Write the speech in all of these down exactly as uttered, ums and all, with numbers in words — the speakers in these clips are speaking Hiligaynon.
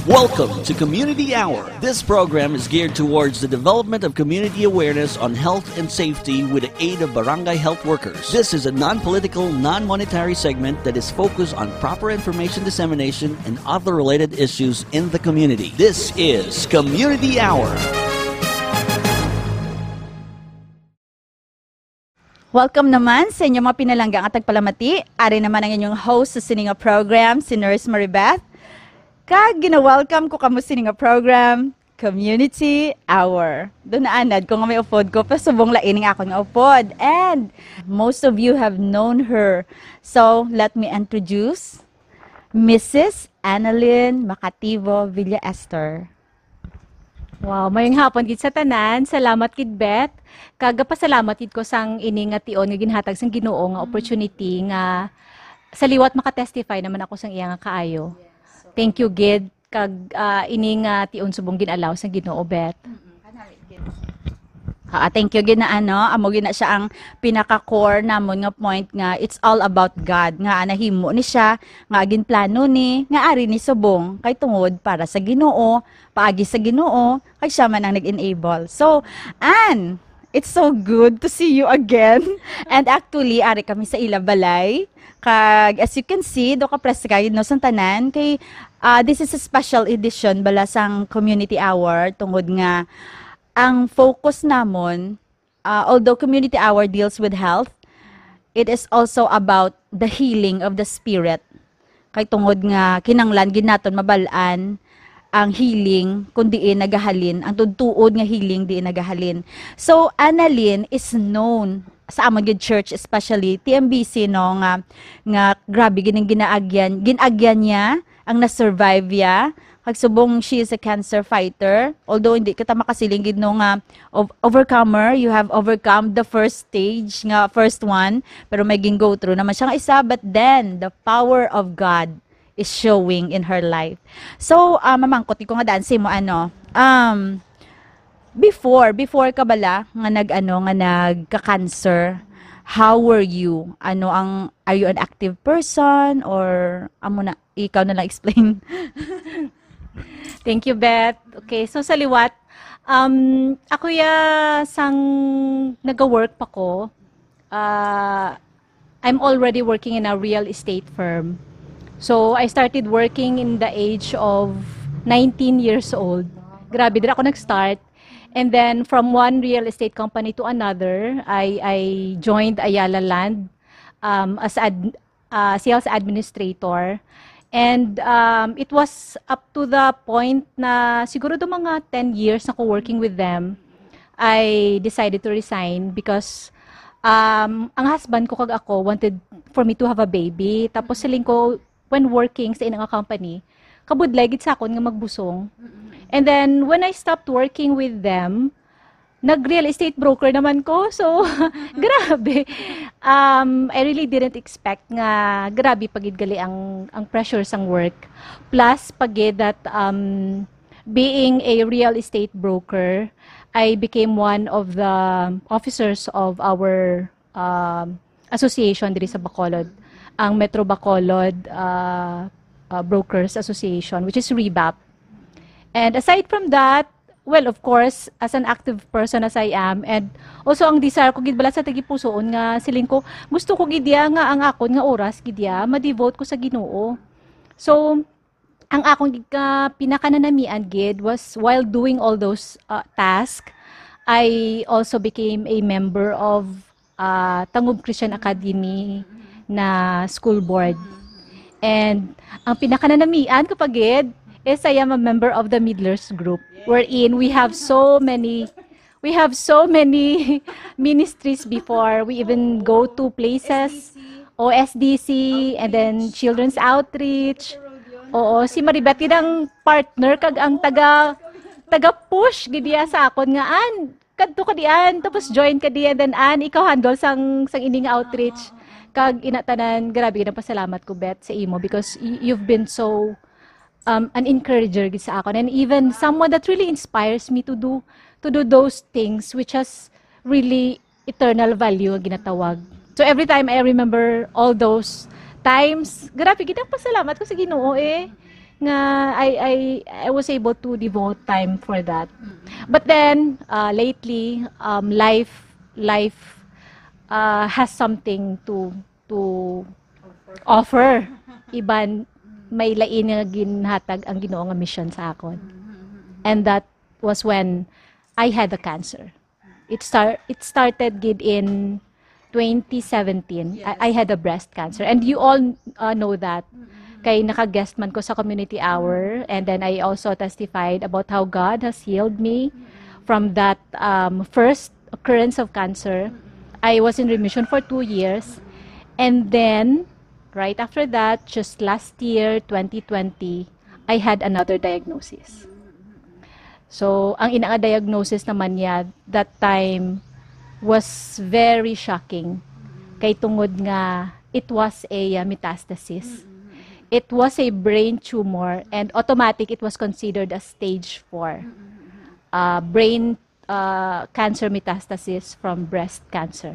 Welcome to Community Hour. This program is geared towards the development of community awareness on health and safety with the aid of barangay health workers. This is a non-political, non-monetary segment that is focused on proper information dissemination and other related issues in the community. This is Community Hour. Welcome naman sa inyong mga pinalangga nga tagpalamati. Ari naman ang inyong host sa sini nga program, si Nurse Maribeth. Kag gina-welcome ko kamo sini nga program, Community Hour. Doon naanad ko nga may upod ko, pero subong lain ang akon nga upod. And most of you have known her. So, let me introduce Missus Annalyn Macativo Villa Esther. Wow, mayong hapon gid sa tanan. Salamat gid, Beth. Kag gapasalamat gid ko sang ini nga tion nga ginhatag sang Ginoo nga opportunity nga sa liwat makatestify naman ako sang iya nga kaayo. Thank you gid kag ah, ini nga tion subong gin-allow sang Ginoo, Beth. Ah, thank you gid na ano, amo gid na siya ang pinaka-core namon nga point nga it's all about God, nga nahimo ni siya, nga ginplano ni, nga ari ni subong kay tungod para sa Ginoo, paagi sa Ginoo, kay siya man ang nag-enable. So, Ann, it's so good to see you again. And actually, ari kami sa ila balay. Kag as you can see, do ka press guide no sang tanan kay ah, this is a special edition bala sang Community Hour tungod nga ang focus namon, ah, although Community Hour deals with health, it is also about the healing of the spirit. Kay tungod nga kinanglan gid naton mabal-an ang healing kung diin nagahalin, ang tuod-tuod nga healing diin nagahalin. So, Annalyn is known sa amon gid church, especially T M B C, no, nga, nga grabe gid ang ginaagyan, ginaagyan niya, ang na-survive ya. Kag subong, she is a cancer fighter. Although hindi kita makasiling gid, no, nga ov- overcomer, you have overcome the first stage, nga first one, pero may gin-go through naman siya nga isa, but then the power of God is showing in her life. So, ah, mamangkot ko nga daan sa imo, ano, um, before, before ka bala nga nag, ano, nga nagka-cancer, how were you? Ano ang, are you an active person or amo na, ikaw na lang explain? Thank you, Beth. Okay, so sa liwat, um, ako ya sang nag-work pa ko, uh, I'm already working in a real estate firm. So I started working in the age of nineteen years old. Grabe, dira ako nag-start. And then from one real estate company to another, I, I joined Ayala Land um, as ad, uh, sales administrator. And um, it was up to the point na siguro do mga ten years na ko working with them, I decided to resign because um, ang husband ko kag ako wanted for me to have a baby. Tapos siling ko, when working sa inang company, kabudlay gid sa akon nga magbusong. And then, when I stopped working with them, nag-real estate broker naman ko. So, grabe. Um, I really didn't expect nga grabe pa gid gali ang, ang pressure sang work. Plus, pa gid that um, being a real estate broker, I became one of the officers of our um, association diri sa Bacolod, ang Metro Bacolod uh, uh, Brokers Association, which is REBAP. And aside from that, well, of course, as an active person as I am, and also ang desire ko gid bala sa tagipusoon nga siling ko, gusto ko gid ya nga ang akon nga oras gid ya ma-devote ko sa Ginoo. So, ang akong gika pinakananamian gid was while doing all those uh, tasks, I also became a member of uh, Tangub Christian Academy na school board. And ang pinakananamian ko pa gid is I am a member of the Middlers group, wherein we have so many we have so many ministries before. We even go to places, O S D C, and then Children's Outreach. Oo, si Maribeth gid ang partner kag ang taga taga push gid iya sa akon nga an kadto ka diyan, tapos join ka diyan, then an ikaw handle sang sang ining outreach. Kag ina tanan, grabe gid ang pasalamat ko, Beth, sa imo because y- you've been so um, an encourager gid sa akon, and even someone that really inspires me to do to do those things which has really eternal value nga ginatawag. So every time I remember all those times, grabe gid ang pasalamat ko sa Ginoo eh. nga I I I was able to devote time for that. But then, uh, lately, um, life life uh, has something to to offer. Iban may lain nga ginhatag ang Ginoo nga mission sa akon. And that was when I had the cancer. It start it started gid in twenty seventeen. I, I had a breast cancer, and you all uh, know that. Kay naka-guest man ko sa community hour, and then I also testified about how God has healed me from that um, first occurrence of cancer. I was in remission for two years, and then right after that, just last year, twenty twenty, I had another diagnosis. So, ang ina nga diagnosis naman niya that time was very shocking. Kay tungod nga it was a uh, metastasis. It was a brain tumor, and automatic it was considered as stage four. Uh, brain uh, cancer metastasis from breast cancer.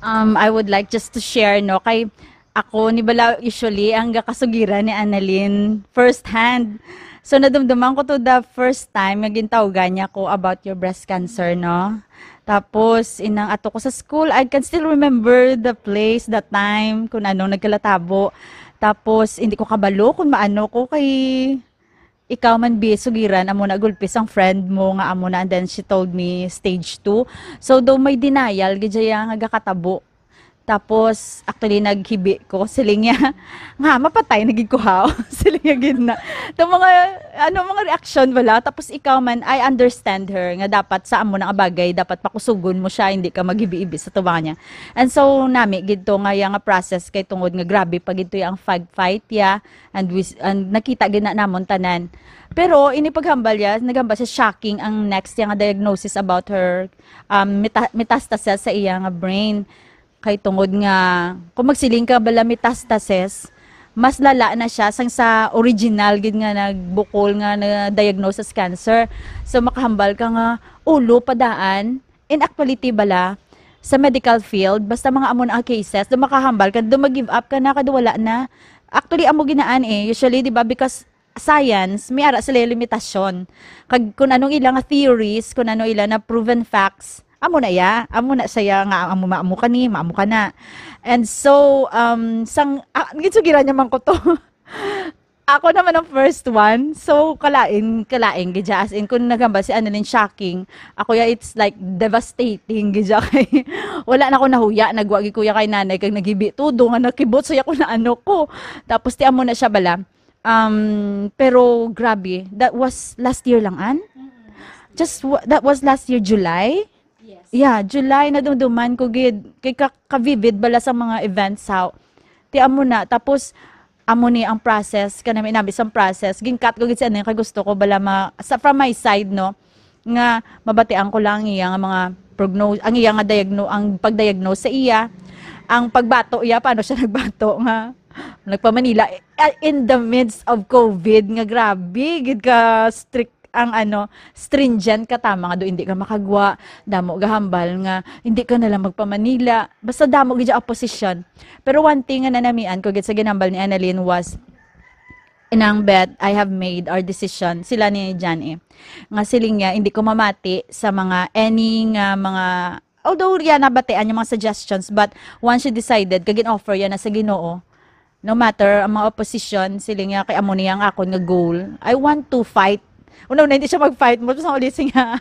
Um, I would like just to share, no, kay ako ni bala usually ang gakasugiran ni Annalyn first hand. So nadumduman ko to the first time nga gintawgan niya ko about your breast cancer, no. Tapos inang ato ko sa school, I can still remember the place, the time, kung anong nagkalatabo. Tapos hindi ko kabalo kung maano ko kay ikaw man bi sugiran amo na gulpi sang friend mo nga amo na, and then she told me stage two. So though may denial gid siya nga gakatabo. Tapos actually naghibi ko, siling niya nga mapatay na gid ko haw. Siling niya gid na. Itong mga ano, mga reaction wala. Tapos ikaw man, I understand her nga dapat sa amo na nga bagay dapat pakusugon mo siya, hindi ka maghibi-hibi sa tubangan niya. And so nami gid to nga iya nga process kay tungod nga grabe pa gid to ang fight fight ya. And, we, and nakita gid na namon tanan. Pero ini paghambal niya, naghambal siya shocking ang next niya nga diagnosis about her um, meta- metastasis sa iya nga brain. Kay tungod nga, kung magsiling ka bala metastasis, mas lala na siya sang sa original gid nga nagbukol nga na-diagnose as cancer. So makahambal ka nga ulo padaan. In actuality bala, sa medical field, basta mga amo na ang cases, do makahambal ka, do mag-give up ka na, kado wala na. Actually, amo ginaan eh. Usually, di ba, because science, may ara sila yung limitasyon. Kag kung anong ila nga theories, kung ano ila na proven facts, amo na ya, amo na saya nga amo maamo ka ni, maamo ka na. And so, um, sang, ah, ginsugiran niya man ko to. Ako naman ang first one. So, kalain, kalain gid siya. As in, kung naghambal si Annalyn shocking, ako ya, it's like devastating gid siya. Kay wala na ko nahuya, nagwa gid kuya kay nanay, kag naghibi tudo nga nakibot sa ko na ano ko. Tapos ti amo na siya bala. Um, pero grabe, that was last year lang, an? Just wa- that was last year, July? Yes. Yeah, July, nadumduman ko gid kay ka, ka-vivid bala sa mga events, how ti amo na. Tapos amo ni ang process, kanami nabi sang process, ginkat ko gid sa ano kay gusto ko bala ma, sa, from my side, no, nga mabatian ko lang ang iya nga mga prognose, ang iya nga diagno, ang pag-diagnose sa iya, ang pagbato iya, paano siya nagbato nga nagpa-Manila, eh, in the midst of COVID, nga grabe gid ka strict ang ano, stringent ka, tama nga do hindi ka makagwa, damo gahambal nga hindi ka na lang magpa-Manila, basta damo gid ang opposition. Pero one thing nga nanamian ko gid sa ginambal ni Annalyn was, inang Beth, I have made our decision, sila ni Jan eh, nga siling niya, hindi ko mamati sa mga any nga mga, although riya nabatian yung mga suggestions, but once she decided, kag in-offer yan na sa Ginoo, no matter ang mga opposition, siling niya kay amo niya ang akon nga goal. I want to fight. Una na hindi siya mag-fight mo sa uli siya.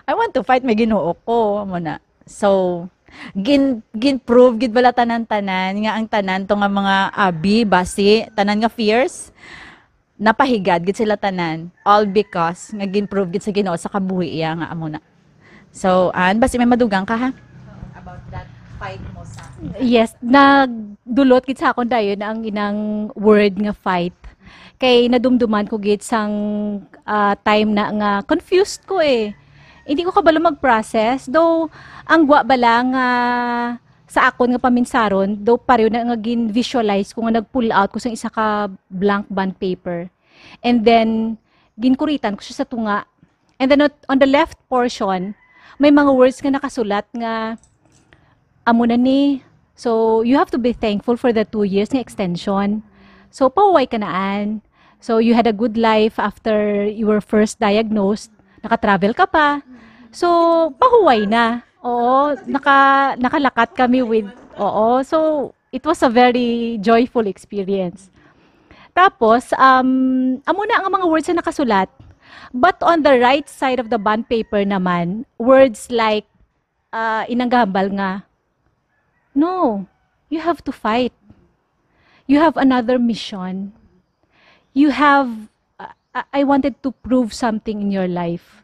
I want to fight, may Ginoo ko, amo na. So, gin gin-prove gid bala tanan-tanan nga ang tanan to nga mga abi, basi, tanan nga fears, napahigad gid sila tanan, all because nga gin-prove gid sa Ginoo sa kabuhi iya nga amo na. So, an, basi may madugang ka ha? About that fight mo sa Yes, nagdulot gid sa akon dayon ang inang word nga fight. Kay nadumduman ko gid sang ah, time na nga confused ko eh. Hindi ko kabalo mag-process. Though, ang gwa bala nga sa akon nga paminsaron, though pareho na nga gin-visualize ko nga nag-pull out ko sang isa ka blank bond paper. And then, ginkuritan ko siya sa tunga. And then on the left portion, may mga words nga nakasulat nga amo na ni. So, you have to be thankful for the two years nga extension. So, pahuway ka na, Ann. So, you had a good life after you were first diagnosed. Naka-travel ka pa. So, pahuway na. Oo, naka-, nakalakat kami with, oo. So, it was a very joyful experience. Tapos, um, amo na ang mga words na nakasulat. But on the right side of the bond paper naman, words like, uh, inanggahambal nga, "No, you have to fight. You have another mission. You have, uh, I I wanted to prove something in your life."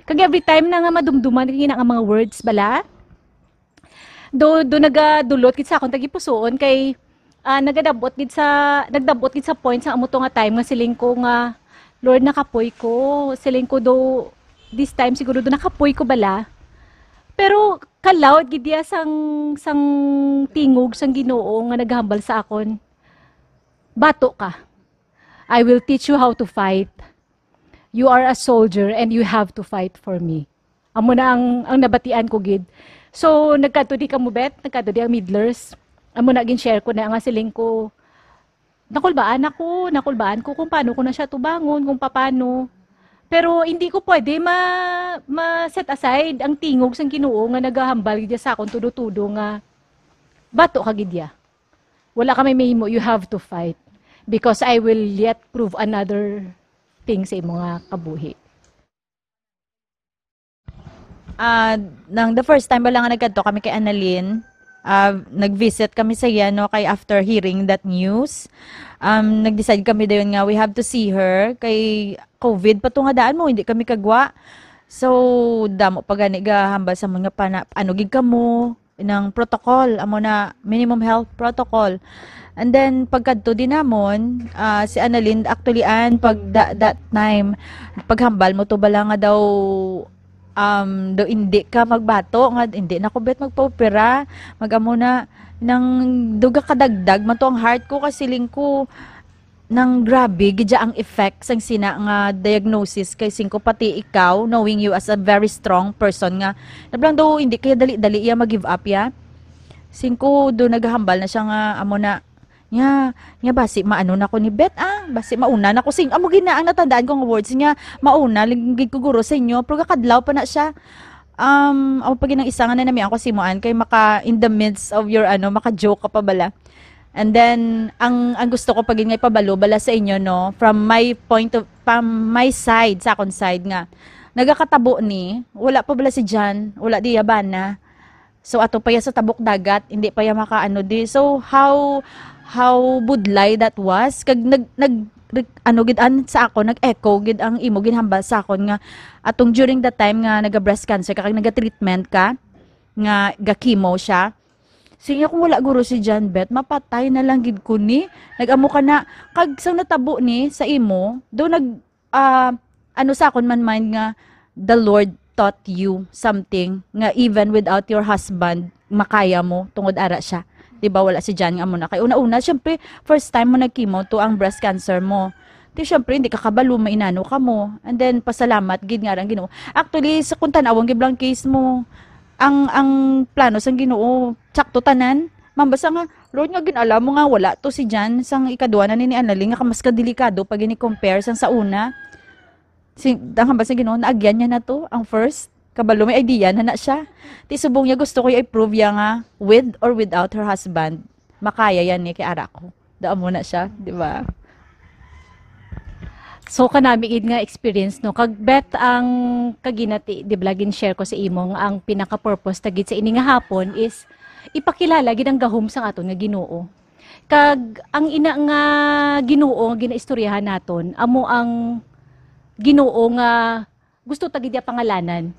Kag every time na nga madumduman ko ina nga mga words bala, do, do nagadulot gid sa akon tagipusoon kay, ah, nagadabot gid sa, nagdabot gid sa point sa amo to nga time nga siling ko nga, "Lord, nakapoy ko." Siling ko do, this time siguro do nakapoy ko bala. Pero kalaw gid iya sang, sang tingog sang Ginoo nga naghambal sa akon, "Bato ka. I will teach you how to fight. You are a soldier and you have to fight for me." Amo na ang, ang nabatian ko gid. So, nagkadto di kamo, Beth, nagkadto di ang Midlers. Amo na, gin-share ko na nga siling ko, nakulbaan ako, nakulbaan ko kung paano ko na siya tubangon, kung paano. Pero hindi ko pwede ma-, ma-set aside ang tingog sang Ginoo nga nagahambal gid sa akon tudo-tudo nga, "Bato ka gid ya. Wala ka may mahimo, you have to fight. Because I will yet prove another thing sa imo nga kabuhi." Ah, nang the first time bala nga nagkadto kami kay Annalyn, ah, nag-visit kami sa iya, no, kay after hearing that news, um, nag-decide kami dayon nga we have to see her kay covid pa to nga daan mo, hindi kami kagwa. So, damo pa gani gahambal sa amon nga pana-, ano gid kamo, nang protocol, amo na minimum health protocol. And then, pagkadto din namon, ah, si Annalyn, actually, an, pag da-, that time, paghambal mo to bala nga daw, um, daw hindi ka magbato, nga hindi na ko bet magpaopera, mag-amo na, nang duga kadagdag man to ang heart ko, kasiling ko, nang grabe gid ang effect sang sina nga diagnosis kay singko pati ikaw, knowing you as a very strong person nga, nablang daw hindi kaya dali-dali iya mag-give up ya. Singko do naghambal na siya nga amo na, nya, nya basi maano na ko ni Beth, ah, basi mauna na ko sing, amo gid na ang natandaan ko nga words niya, mauna lang gid ko guro sa inyo, pero kakadlaw pa na siya. Um, amo pa gid ang isa nga nanamian ko sa imo, Ann, kay maka, in the midst of your, ano, maka-joke ka pa bala. And then, ang, ang gusto ko pa gid nga ipabalo bala sa inyo, no, from my point of, from my side, sa akon side nga, nagakatabo ni, wala pa bala si John, wala di iya bana. So, ato pa iya sa tabok dagat, hindi pa iya makaano di. So, how, how budlay that was. Kag nag, nag, re-, ano gid an sa ako, nag-echo gid ang imo ginhambal sa akon nga atong during the time nga naga-breast cancer ka, kag naga-treatment ka, nga ga-chemo siya. Sige, kung wala guro si John Beth, mapatay na lang gid ko ni. Nag-amo ka na, kag sang natabo ni sa imo, do nag, ah, ano sa akon man mind nga, the Lord taught you something nga even without your husband, makaya mo, tungod ara siya. Di ba, wala si John nga amo na. Kay una-una, syempre, first time mo nag-chemo to ang breast cancer mo. Di, syempre, hindi ka kabalo, mainano ka mo. And then, pasalamat gid nga ang Ginoo. Actually, sa kung tan-awon gid lang case mo, ang, ang plano sang Ginoo, tsakto tanan. Ma'am, basta nga, Lord, nga gin-alam mo nga wala to si Jan sang ikadua na ni, ni Annalyn, nga mas kadelikado pa gini compare sang sa una. Si, ang hambal sa Ginoo, naagyan niya na to, ang first. Kabalo, may idea na na siya. Ti subong niya, gusto ko i-prove ya nga, with or without her husband, makaya yan ni kay ara ko. Daan mo na siya, di ba? So, kanami gid nga experience, no? Kag Beth, ang kaginati, di ba, gin-share ko sa imo nga ang pinaka-purpose ta gid sa ini nga hapon is ipakilala gid ang gahom sang aton nga Ginoo. Kag ang ina nga Ginoo nga ginaistoryahan naton, amo ang Ginoo nga gusto ta gid iya pangalanan.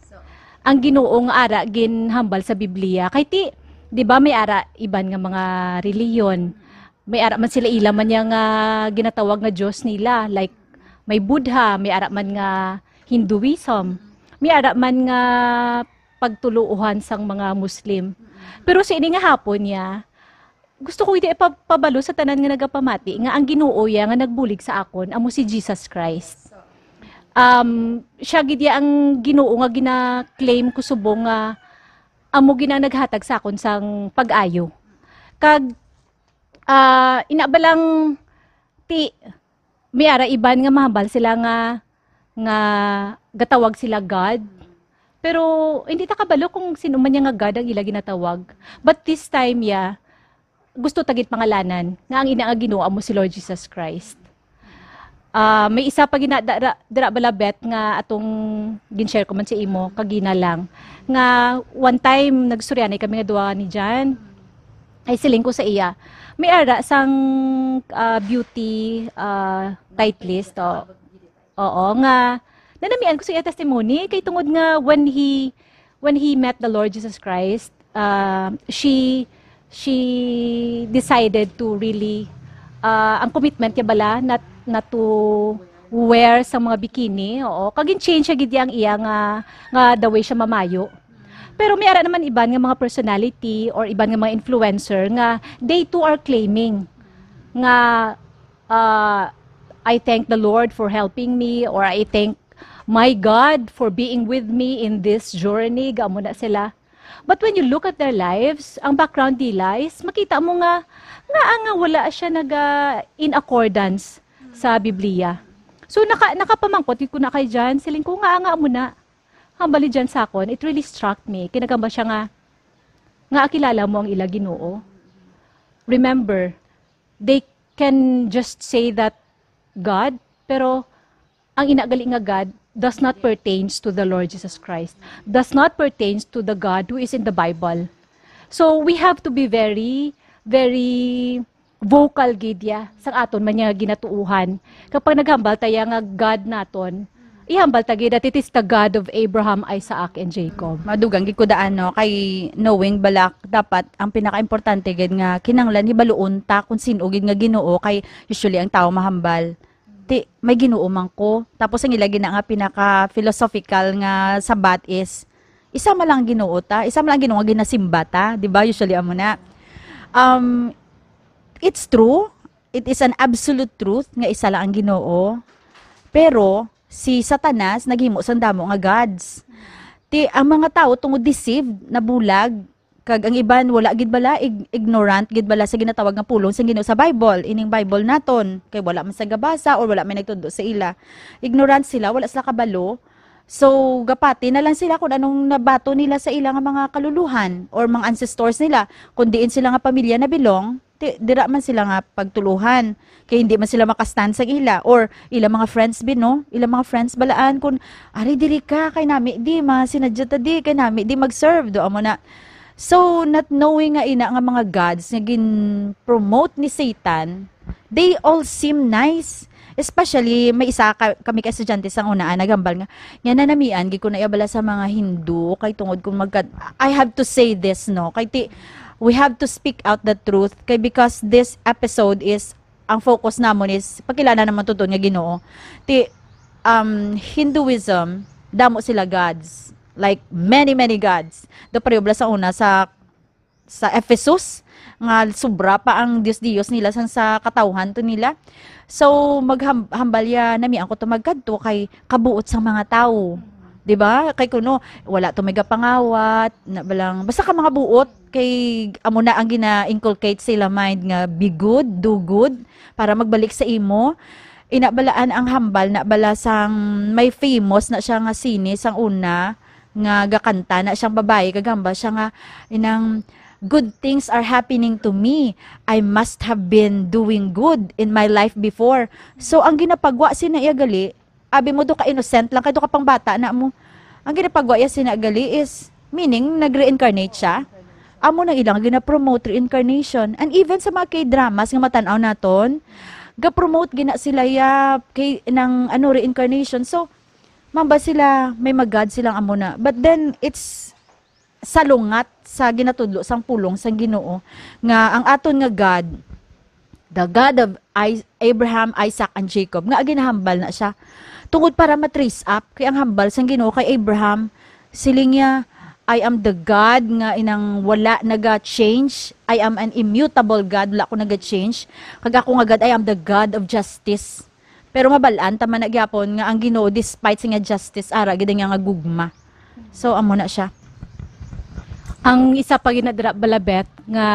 Ang Ginoo nga ara ginhambal sa Biblia. Kay ti, di ba, may ara iban nga mga reliyon. May ara man sila ila man niya nga ginatawag nga Dios nila. Like, may Buddha, may ara man nga Hinduism, may ara man nga pagtuluohan sang mga Muslim. Pero sa ini nga hapon niya, gusto ko gid ipabalo sa tanan nga nagapamati nga ang Ginoo ya nga nagbulig sa akon amo si Jesus Christ. Um, siya gid ya ang Ginoo nga gina-claim ko subong nga amo gid ang naghatag sa akon sang pag-ayo. Kag, ah, ina ba lang Ti, may ara iban nga mahambal sila nga, nga gatawag sila God. Pero hindi ta kabalo kung sino man niya nga God ang ila ginatawag. But this time, yeah, gusto ta gid pangalanan nga ang ina nga Ginoo amo si Lord Jesus Christ. Ah, may isa pa gina-, dara-, dira bala, Beth, nga atong gin-share ko man sa imo kagina lang, nga one time nagstoryanay kami nga duha ni Jan. Ay, siling ko sa iya, may ara sang, ah, beauty, ah, tight list, o. Oo, nga nanamian ko sa iya testimony kay tungod nga when he, when he met the Lord Jesus Christ, ah, she, she decided to really, ah, ang commitment niya bala not, not to wear sa mga bikini, oo. Kag gin-change siya gid ang iya nga, nga the way siya mamayo. Pero may ara naman iban nga mga personality or iban nga mga influencer nga they too are claiming nga, ah, "I thank the Lord for helping me," or, "I thank my God for being with me in this journey." Gamo na sila. But when you look at their lives, ang background nila is makita mo nga, nga, nga wala siya naga in accordance sa Biblia. So, naka-, nakapamangkot ko na kay Jan, siling ko, "Nga, nga mo na." Hambal ni Jan sa akon, it really struck me. Kinagamba siya nga, "Nga akilala mo ang ila Ginoo." Remember, they can just say that God, pero ang ina gali nga God does not pertains to the Lord Jesus Christ, does not pertains to the God who is in the Bible. So we have to be very, very vocal gid ya sa aton man nga ginatuohan. Kapag naghambal ta ya nga God naton, ihambal ta gid that it is the God of Abraham, Isaac, and Jacob. Madugang gid ko daan, no, kay knowing bala dapat ang pinakaimportante gid nga kinahanglan hibaluon ta kung sin-o gid nga Ginoo, kay usually ang tawo mahambal, "Ti, may Ginoo man ko." Tapos ang ila gina nga pinaka-philosophical nga sabat is, "Isa man lang ang Ginoo ta, isa man lang ang Ginoo nga ginasimba ta," di ba? Usually amo na. Um, it's true. It is an absolute truth nga isa lang ang Ginoo. Pero si Satanas naghimo sang damo nga gods. Ti, ang mga tawo tungod deceived, nabulag, kag ang iban wala gid bala, ig-, ignorant gid bala sa ginatawag nga pulong sang Ginoo sa Bible, ining Bible naton, kay wala man sa gabasa or wala may nagtudlo sa ila. Ignorant sila, wala sila kabalo. So, gapati na lang sila kung anong nabato nila sa ila nga mga kaluluhan or mga ancestors nila. Kung diin sila nga pamilya na belong, ti-, dira man sila nga pagtuluhan. Kay hindi man sila makastand sa ila or ila mga friends bin, no? Ila mga friends balaan kung, "Ari, diri ka, kay nami di, masinadya ta di, kay nami di mag-serve," do amo na. So, not knowing nga ina nga mga gods nga gin-promote ni Satan, they all seem nice. Especially, may isa ka, kami ka estudyante sang una, ah, naghambal nga, nga nanamian gid ko na iya bala sa mga Hindu, kay tungod kung magka-, I have to say this, no, kay ti-, we have to speak out the truth, kay because this episode is, ang focus namon is pagkilala namon tuod nga Ginoo. Ti, um, Hinduism, damo sila gods, like, many, many gods. Do pareho bala sa una sa sa Ephesus, nga sobra pa ang dios-dios nila sang sa katawhan to nila. So, magham-, hambal ya nami ang kuto magkadto kay kabuot sang mga tawo. Di ba? Kay kuno, wala to may gapangawat, na balang, basta ka mga buot, kay amo na ang gina-inculcate sa ila mind nga be good, do good, para magbalik sa imo. Ina balaan ang hambal na bala sang may famous na siya nga sine sang una, nga gakanta na siyang babayi, gagamba siya nga, inang, "Good things are happening to me. I must have been doing good in my life before." So, ang ginapagwa sina iya gali, abi mo, do ka innocent lang, kay do ka pang bata na mo. Ang ginapagwa iya sina gali is, meaning, nag-reincarnate siya. Amo nang ilang gina-promote reincarnation. And even sa mga K-dramas nga matan-aw naton, ga-promote gina sila ya kay nang, ano, reincarnation. So, mamba sila, may magad silang amo na. But then, it's salungat sa ginatudlo sang pulong sang Ginoo nga ang aton nga God, the God of I-, Abraham, Isaac, and Jacob, nga ginahambal na siya. Tungod para ma-trace up, kay ang hambal sang Ginoo kay Abraham, siling niya, "I am the God nga inang wala naga-change. I am an immutable God, wala ko naga-change. Kag ako nga God, I am the God of justice." Pero mabal-an ta man na gyapon nga ang Ginoo, despite sa iya justice, ara gid ang iya nga gugma. So, amo na siya. Ang isa pa gid na dira, Balabet, nga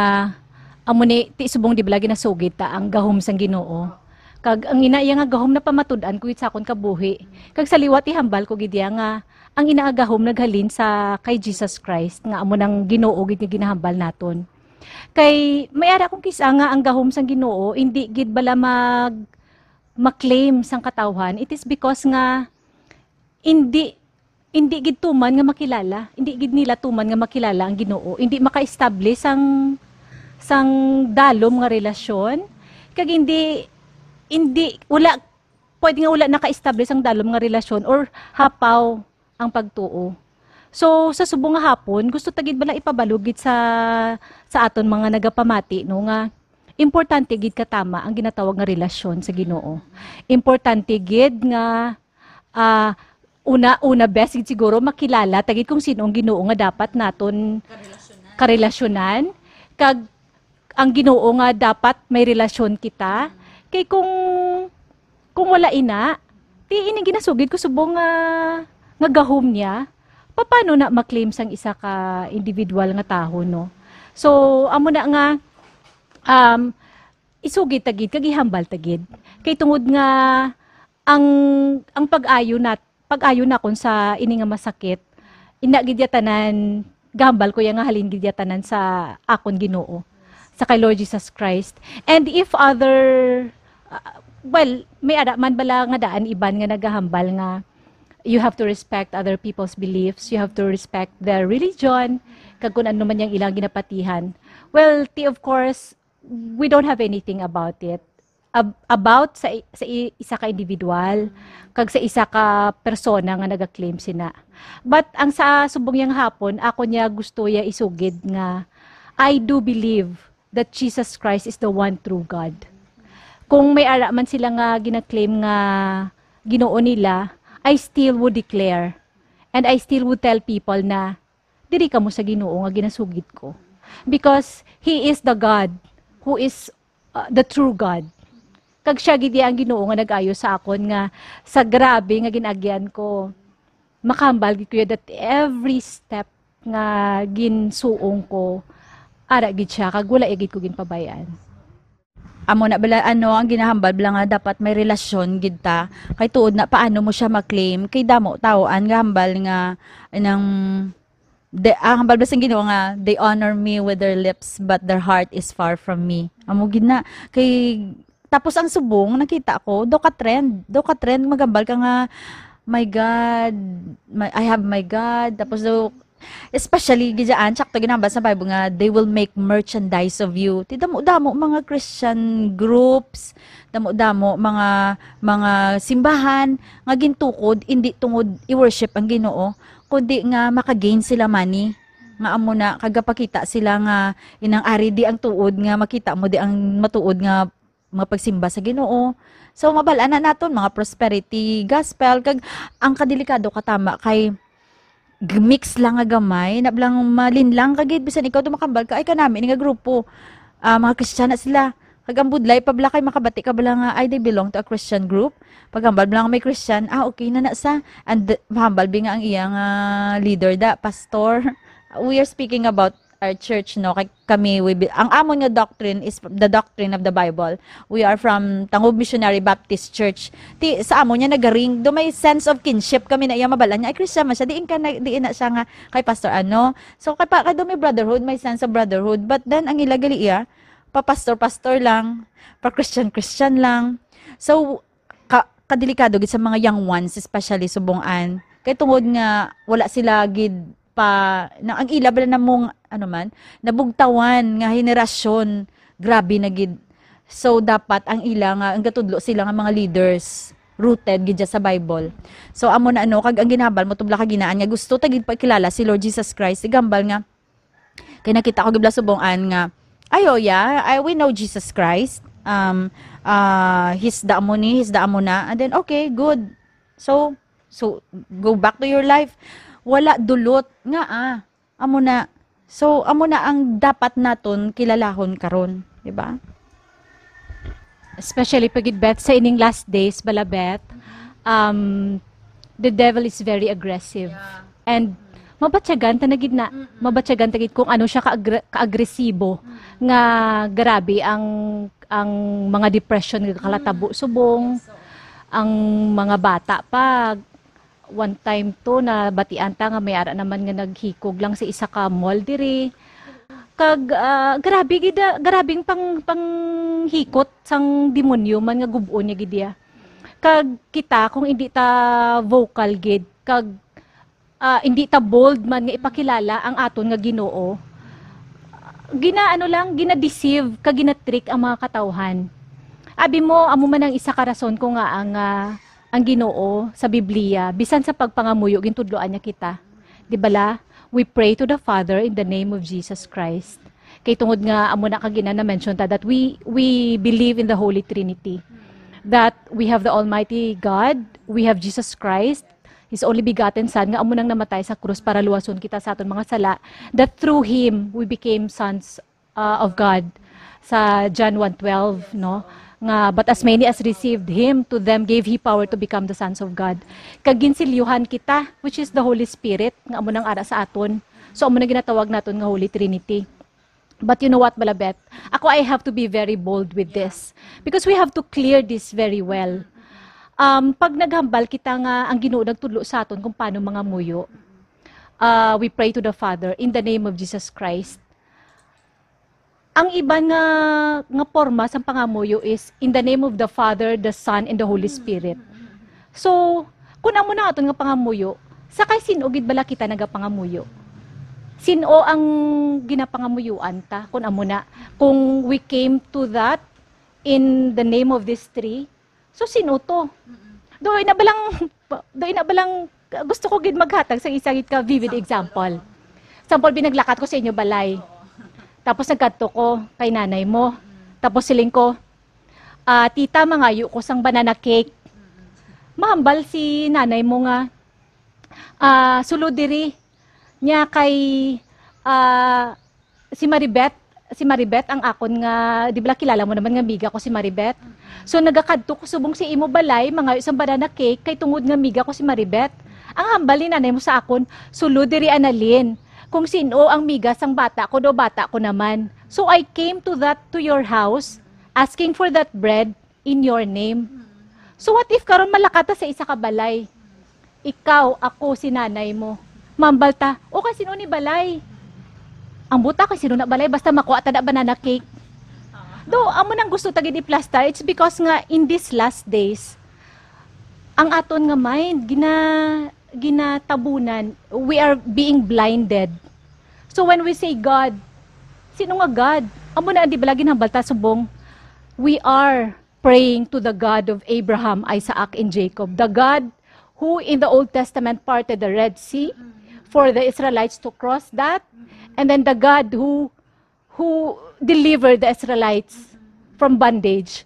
amo ni, ti subong di bala ginasugid ta ang gahom sang Ginoo. Kag ang ina iya nga gahom napamatud-an ko gid sa akon kabuhi. Kag sa liwat ihambal ko gid iya nga ang ina nga gahom naghalin sa kay Jesus Christ nga amo nang Ginoo gid nga ginahambal naton. Kay may ara kong kis-a nga ang gahom sang Ginoo indi gid bala mag ma-claim sang katawhan. It is because nga indi indi gid tuman nga makilala, indi gid nila tuman nga makilala ang Ginoo, indi maka-establish sang sang dalom nga relasyon, kag indi indi wala pwede nga wala naka-establish ang dalom nga relasyon or hapaw ang pagtuo. So, sa subong nga hapon, gusto ta gid bala ipabalo gid sa sa aton mga nagapamati, no, nga importante gid katama ang ginatawag nga relasyon sa Ginoo. Importante gid nga ah, una una best gid siguro makilala ta gid kung sino ang Ginoo nga dapat naton karelasyonan, kag ang Ginoo nga dapat may relasyon kita. Kay kung kung wala ina, di ini ginasugid ko subong nga nga gahom niya. Paano na ma-claim sang isa ka individual nga tawo, no? So, amo na nga um, isugid ta gid kag ihambal ta gid. Kay tungod nga ang ang pag-ayo nat pag-ayo nakon sa ini nga masakit, ina gid ya tanan gahambal ko ya nga halin gid ya tanan sa akon Ginoo, sa kay Lord Jesus Christ. And if other uh, well, may ara man bala nga daan iban nga nagahambal nga you have to respect other people's beliefs, you have to respect their religion, kag kun ano man yang ilang ginapatihan. Well, ti of course, we don't have anything about it. Ab- about sa i- sa i- isa ka individual kag sa isa ka persona nga naga-claim sina. But ang sa subong yang hapon, ako niya gusto ya isugid nga I do believe that Jesus Christ is the one true God. Kung may ara man sila nga gina-claim nga Ginoo nila, I still would declare and I still would tell people na diri kamo sa Ginoo nga ginasugid ko. Because He is the God who is uh, the true God. Kag siya gid ang Ginoo nga nag-ayo sa akon nga sa grabe nga gin-agyan ko. Makahambal gid ko that every step nga ginsuong ko, ara gid siya, kag wala gid ko ginpabay-an. Amo na bala, ano, ang ginahambal bala nga dapat may relasyon gid ta. Kay tuod na, paano mo siya ma-claim? Kay damo tawo-an nga hambal nga nang de, ang hambal bala sang Ginoo nga, "They honor me with their lips, but their heart is far from me." Amo gid na. Kay tapos ang subong nakita ko, do ka trend, do ka trend maghambal ka nga, "My God, my, I have my God." Tapos do, especially gid dyan, sakto ginambal sa Bible nga, "They will make merchandise of you." Ti damo-damo mga Christian groups, damo-damo mga mga simbahan nga gintukod indi tungod i-worship ang Ginoo, kundi nga maka-gain sila money. Nga amo na kagapakita sila nga inang ari di ang tuod nga makita mo di ang matuod nga mga pagsimba sa Ginoo. So, mabal-an na naton, mga prosperity gospel, kag ang kadelikado katama kay g-, mix lang nga gamay, na lang malinlang ka gid, bisan ikaw tumakambal ka, ay, kanami ni nga grupo, ah, mga Kristiyana sila. Kag ang budlay pa bala kay makabati ka bala nga, ay, they belong to a Christian group. Paghambal bala nga may Christian, ah, okay na na sa. And mahambal bi nga ang iya nga leader da, pastor. We are speaking about our church, no? Kay kami, we be, ang amon nga doctrine is the doctrine of the Bible. We are from Tangub Missionary Baptist Church. Ti, sa amon niya nagaring, do may sense of kinship kami na iya mabalan niya. Ay, Christian man siya. Diin ka na, diin na siya nga kay Pastor ano. So, kay, pa, kay do may brotherhood, may sense of brotherhood. But then, ang ila gali iya, pa-pastor-pastor lang, pa-Christian-Christian lang. So, ka, kadelikado gid sa mga young ones, especially subong-an. Kay tungod nga wala sila gid pa, na, ang ila bala namong, ano man, nabugtawan nga henerasyon, grabe na gid. So, dapat ang ila nga, ang gatudlo sila nga mga leaders, rooted gid dyan sa Bible. So, amo na ano, kag ang ginhambal mo, tubla ka ginaan nga gusto ta gid pakilala si Lord Jesus Christ, igambal nga, kay nakita ko gid bala subong-an nga, "Ay, oh, yeah, I, we know Jesus Christ. Um, ah, he's the amo ni, he's the amo na." And then, okay, good. So, so, go back to your life. Wala dulot nga, ah. Amo na. So, amo na ang dapat naton kilalahon karon, di ba? Especially pagid, Beth, sa ining last days, bala, Beth, um, the devil is very aggressive. Yeah. And mabatyagan ta na gid na, Mm-mm. mabatyagan ta gid kung ano siya ka-agre-, kaagresibo Mm. nga grabe ang ang mga depression nga kalatabo subong, ang mga bata pa, one time to, nabatian ta nga may ara naman nga naghikog lang sa isa ka mall diri. Kag, ah, grabe gid, ah, grabing pang-, panghikot sang demonyo man nga gub-on niya gid iya. Kag kita, kung hindi ta vocal gid, kag, ah, hindi ta bold man nga ipakilala ang aton nga Ginoo, gina-, ano lang, gina-deceive kag gina-trick ang mga katawhan. Abi mo, amo man ang isa ka rason ko nga ang, ah, ang Ginoo sa Biblia, bisan sa pagpangamuyo, gintudloan niya kita. Di bala? We pray to the Father in the name of Jesus Christ. Kay tungod nga amo na ka gina-, na-mention ta that we, we believe in the Holy Trinity. That we have the Almighty God, we have Jesus Christ, His only begotten Son, nga amo nang namatay sa krus para luwason kita sa aton mga sala, that through Him we became sons, uh, of God, sa John one twelve, no? Nga, "But as many as received Him, to them gave He power to become the sons of God." Kag ginsilyuhan kita, which is the Holy Spirit, nga amo nang ara sa aton. So, amo na ginatawag naton nga Holy Trinity. But you know what, Balabet? Ako, I have to be very bold with this. Because we have to clear this very well. Um, pag naghambal kita nga ang Ginoo nagtudlo sa aton kung paano mangamuyo, uh, we pray to the Father in the name of Jesus Christ. Ang iban nga, nga porma sang pangamuyo is in the name of the Father, the Son, and the Holy Spirit. So, kung amo na aton nga pangamuyo, sa kay sin-o gid bala kita nagapangamuyo? Sin-o ang ginapangamuyuan ta? Kung amo na, kung we came to that in the name of this three, so sin-o to? Do ina balang, do ina balang, gusto ko gid maghatag sa isa gid ka vivid example. Example, binaglakat ko sa inyo balay. Tapos nagkadto ko kay nanay mo. Tapos siling ko, "Ah, tita, mangayo ko sang banana cake." Mahambal si nanay mo nga, "Ah, sulod diri." Nya kay, ah, si Maribet, si Maribet ang akon nga, di ba kilala mo naman nga miga ko si Maribet? So nagakadto ko subong si imo balay, mangayo sang banana cake, kay tungod nga miga ko si Maribet. Ang hambal ni nanay mo sa akon, "Sulod diri, Annalyn, kung sin-o ang miga sang bata ko, daw bata ko naman. So I came to that, to your house, asking for that bread in your name." So what if karon malakat ta sa isa ka balay? Ikaw, ako, si nanay mo. Mahambal ta, "O, kay sin-o ni balay?" Ang buta kay sin-o na balay, basta makuha ta na banana cake. Do, amo nang gusto ta gid iplastar. It's because nga in these last days, ang aton nga mind, gina-, ginatabunan, we are being blinded. So when we say God, sino nga God? Amo na, di ba, lagi nang balta subong, we are praying to the God of Abraham, Isaac, and Jacob, the God who in the Old Testament parted the Red Sea for the Israelites to cross that, and then the God who, who delivered the Israelites from bondage.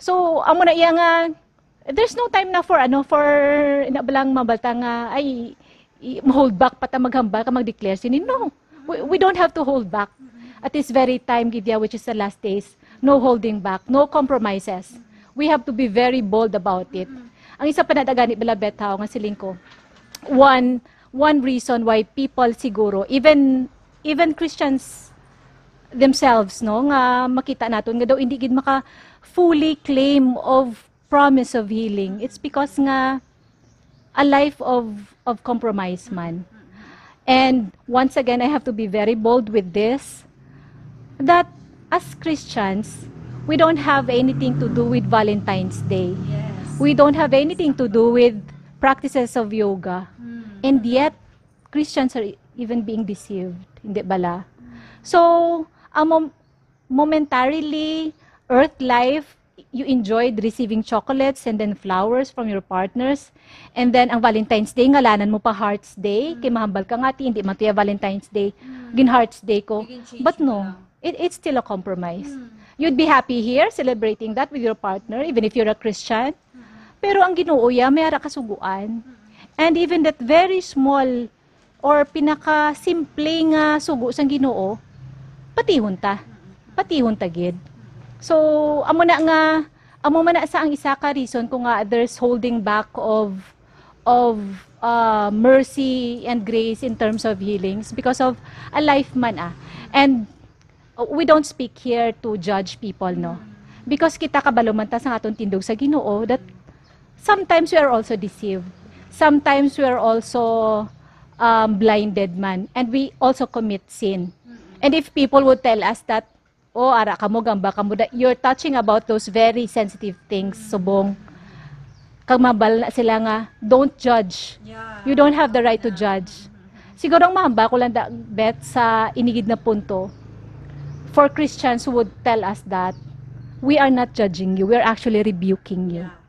So, amo na iya nga, there's no time na for, ano, for, ina ba lang mabalta nga, ay, i-, hold back pa ta maghambal ka, mag-declare sini. No. We, we don't have to hold back. At this very time, gid ya, which is the last days, no holding back, no compromises. We have to be very bold about it. Ang isa pa na dagani, Balabet, ha, nga siling ko, one, one reason why people siguro, even, even Christians themselves, no, nga makita naton nga daw hindi gid maka fully claim of promise of healing, it's because nga a life of, of compromise man. And once again, I have to be very bold with this, that as Christians, we don't have anything to do with Valentine's Day. Yes. We don't have anything to do with practices of yoga. And yet, Christians are even being deceived. Hindi bala? So, amo, momentarily, earth life, you enjoyed receiving chocolates and then flowers from your partners. And then, ang Valentine's Day, ngalanan mo pa Hearts Day. Kay mahambal ka nga, "Ti, hindi man to ya Valentine's Day. Gin Hearts Day ko." But no, it, it's still a compromise. You'd be happy here celebrating that with your partner, even if you're a Christian. Pero ang Ginoo ya, may ara kasuguan. And even that very small or pinakasimple nga sugo sang Ginoo, patihon ta. Patihon ta gid. So, amo na nga, amo man na sa ang isa ka reason ko nga there's holding back of, of, uh, mercy and grace in terms of healings because of a life man, ah. And, uh, we don't speak here to judge people, no? Because kita kabalo man ta sang aton tindog sa Ginoo that sometimes we are also deceived. Sometimes we are also um, blinded man, and we also commit sin. And if people would tell us that, "Oh, ara kamo, gamba kamo," that you're touching about those very sensitive things, subong. Kag mahambal na sila nga, "Don't judge. Yeah. You don't have the right to judge." Siguro ang mahambal ko lang da, Beth, sa inigid na punto, for Christians who would tell us that, "We are not judging you, we are actually rebuking you." Yeah.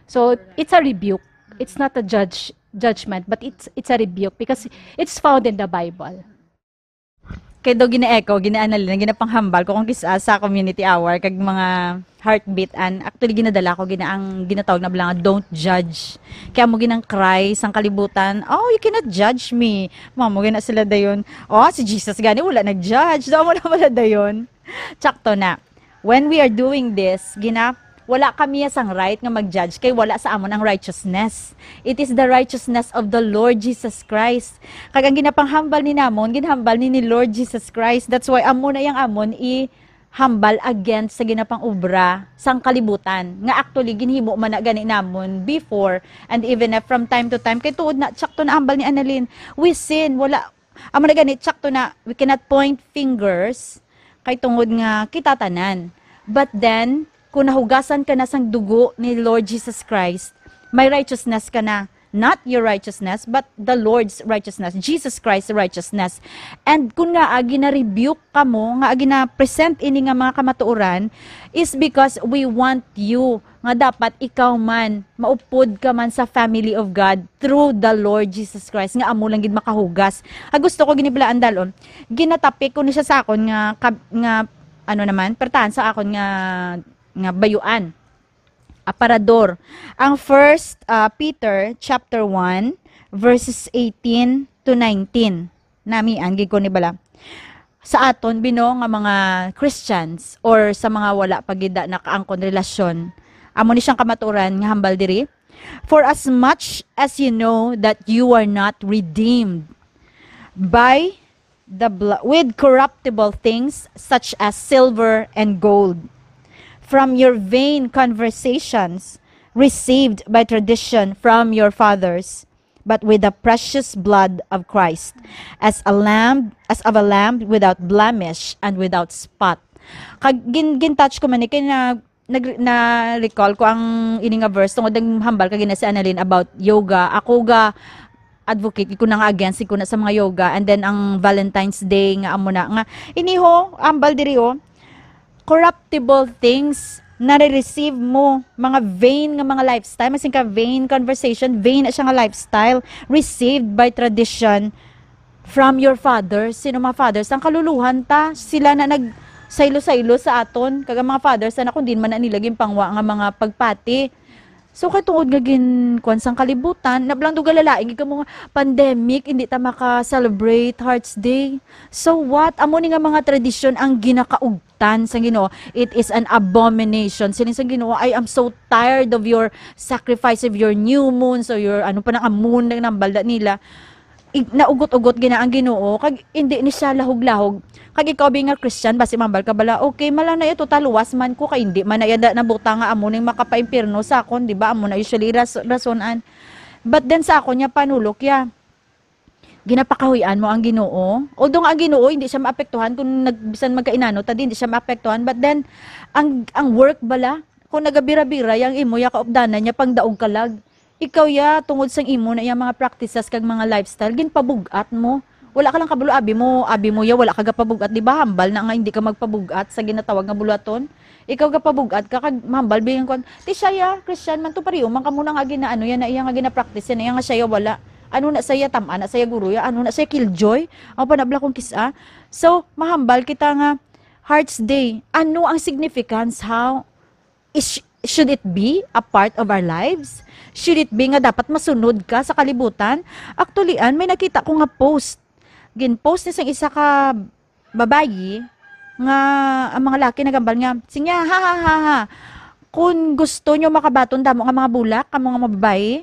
So, it's a rebuke. It's not a judge judgment, but it's it's a rebuke because it's found in the Bible. Kay daw gina-echo, gina-analin, ginapanghambal ko kung kis-a sa community hour kag mga heartbeat, and actually ginadala ko gina ang ginatawag na bala nga, "Don't judge." Kaya mo ginang cry sang kalibutan, "Oh, you cannot judge me." Mamo gina sila dayon, "Oh, si Jesus gani wala nag-judge." Daw mo na wala dayon. Tsakto na. When we are doing this, gina wala kami sang right nga mag-judge kay wala sa amon ang righteousness. It is the righteousness of the Lord Jesus Christ. Kag ang ginapanghambal ni namon, ginhambal ni ni Lord Jesus Christ. That's why amo na yang amon i hambal against sa ginapang-obra sang kalibutan, nga actually ginhimo man na gani namon before, and even if from time to time, kay tuod na, tsakto na hambal ni Annalyn, we sin, wala, amo na gani, tsakto na, we cannot point fingers, kay tungod nga kita tanan. But then, kung nahugasan ka na sang dugo ni Lord Jesus Christ, may righteousness ka na. Not your righteousness, but the Lord's righteousness, Jesus Christ's righteousness. And kung nga, ah, gina-rebuke kamo, nga gina-present ini nga mga kamatuoran, is because we want you nga dapat ikaw man, maupod ka man sa family of God through the Lord Jesus Christ, nga amo lang gid makahugas. Ah, gusto ko gini pala andalon. Ginatapik ko ni siya sa akon nga, kab- nga, ano naman, pertahan sa akon nga, nga bayuan. Aparador. Ang First, ah, Peter chapter one, verses eighteen to nineteen. Nami, ang gid ko ni bala. Sa aton, bino, nga mga Christians or sa mga wala pa gid nakaangkon relasyon, amo ni siyang kamatuoran nga hambal diri, "For as much as you know that you are not redeemed by the bl- with corruptible things such as silver and gold from your vain conversations received by tradition from your fathers, but with the precious blood of Christ, as a lamb, as of a lamb without blemish and without spot." Kag gin gin-touch ko man ni kay na nag na-recall ko ang ini nga verse tungod ang hambal kag gina si Annalyn about yoga. Ako ga advocate ko na nga against ko na sa mga yoga, and then ang Valentine's Day nga amo na nga iniho ambal diri, oh, corruptible things nare-receive mo, mga vain nga mga lifestyle, masin ka vain conversation, vain na siya nga lifestyle, received by tradition from your fathers. Sino mga fathers? Ang kaluluhan ta, sila na nag saylo-saylo sa aton, kag ang mga fathers na kung din man na nila ginpangwa nga mga pagpati. So, kay tungod nga gin-, kuwan sang kalibutan, na bala, duga lalaing, ikaw mo nga, pandemic, hindi ta maka-celebrate Hearts Day. So what? Amo ni nga mga tradisyon ang ginakaugtan sa Ginoo. "It is an abomination." Siling sa Ginoo, "I am so tired of your sacrifice, of your new moons, or your," ano pa nang moon na nambal da nila. Ig-, naugot-ugot gina ang Ginoo, kag hindi ni siya lahog-lahog. Kag ikaw, bi nga Christian, basi mambal ka bala, "Okay, mala na ito, taluwas man ko, kay hindi man na iya da-, nabutang nga amo ning makapaimpirno sa akon," di ba? Amo na usually ras-, rasonan. But then sa akon niya panulok ya, ginapakahuy-an mo ang Ginoo. Although nga ang Ginoo hindi siya maapektuhan kung nag-, bisan magkainano ta, di, hindi siya maapektuhan. But then, ang, ang work bala, kung nagabira-bira yang imo ya kaupdanan niya, pangdaog ka lag. Ikaw ya, tungod sang imo na yang mga practices kag mga lifestyle, ginpabug-at mo. Wala ka lang kabalo, abi mo, abi mo ya, wala ka gapabug-at, di ba? Hambal na nga hindi ka magpabug-at sa ginatawag nga buluhaton. Ikaw gapabug-at ka kag mahambal bigyan kon, "Ti siya ya, Christian man to, pareho man kamo na nga ginaano yan na iya nga gina-practice yan na iya nga siya ya wala. Ano na saya tam-an na saya guro ya, ano na saya killjoy?" Ang panabla kong kis-a. So, mahambal kita nga Hearts Day. Ano ang significance? How is, should it be a part of our lives? Should it be nga dapat masunod ka sa kalibutan? Actually, an, may nakita ko nga post. Gin-post ni sang isa ka babayi nga ang mga laki nagambal nga, sinya, "Ha, ha, ha, ha. Kung gusto nyo makabaton damo nga mga bulak, kamo nga mga babayi,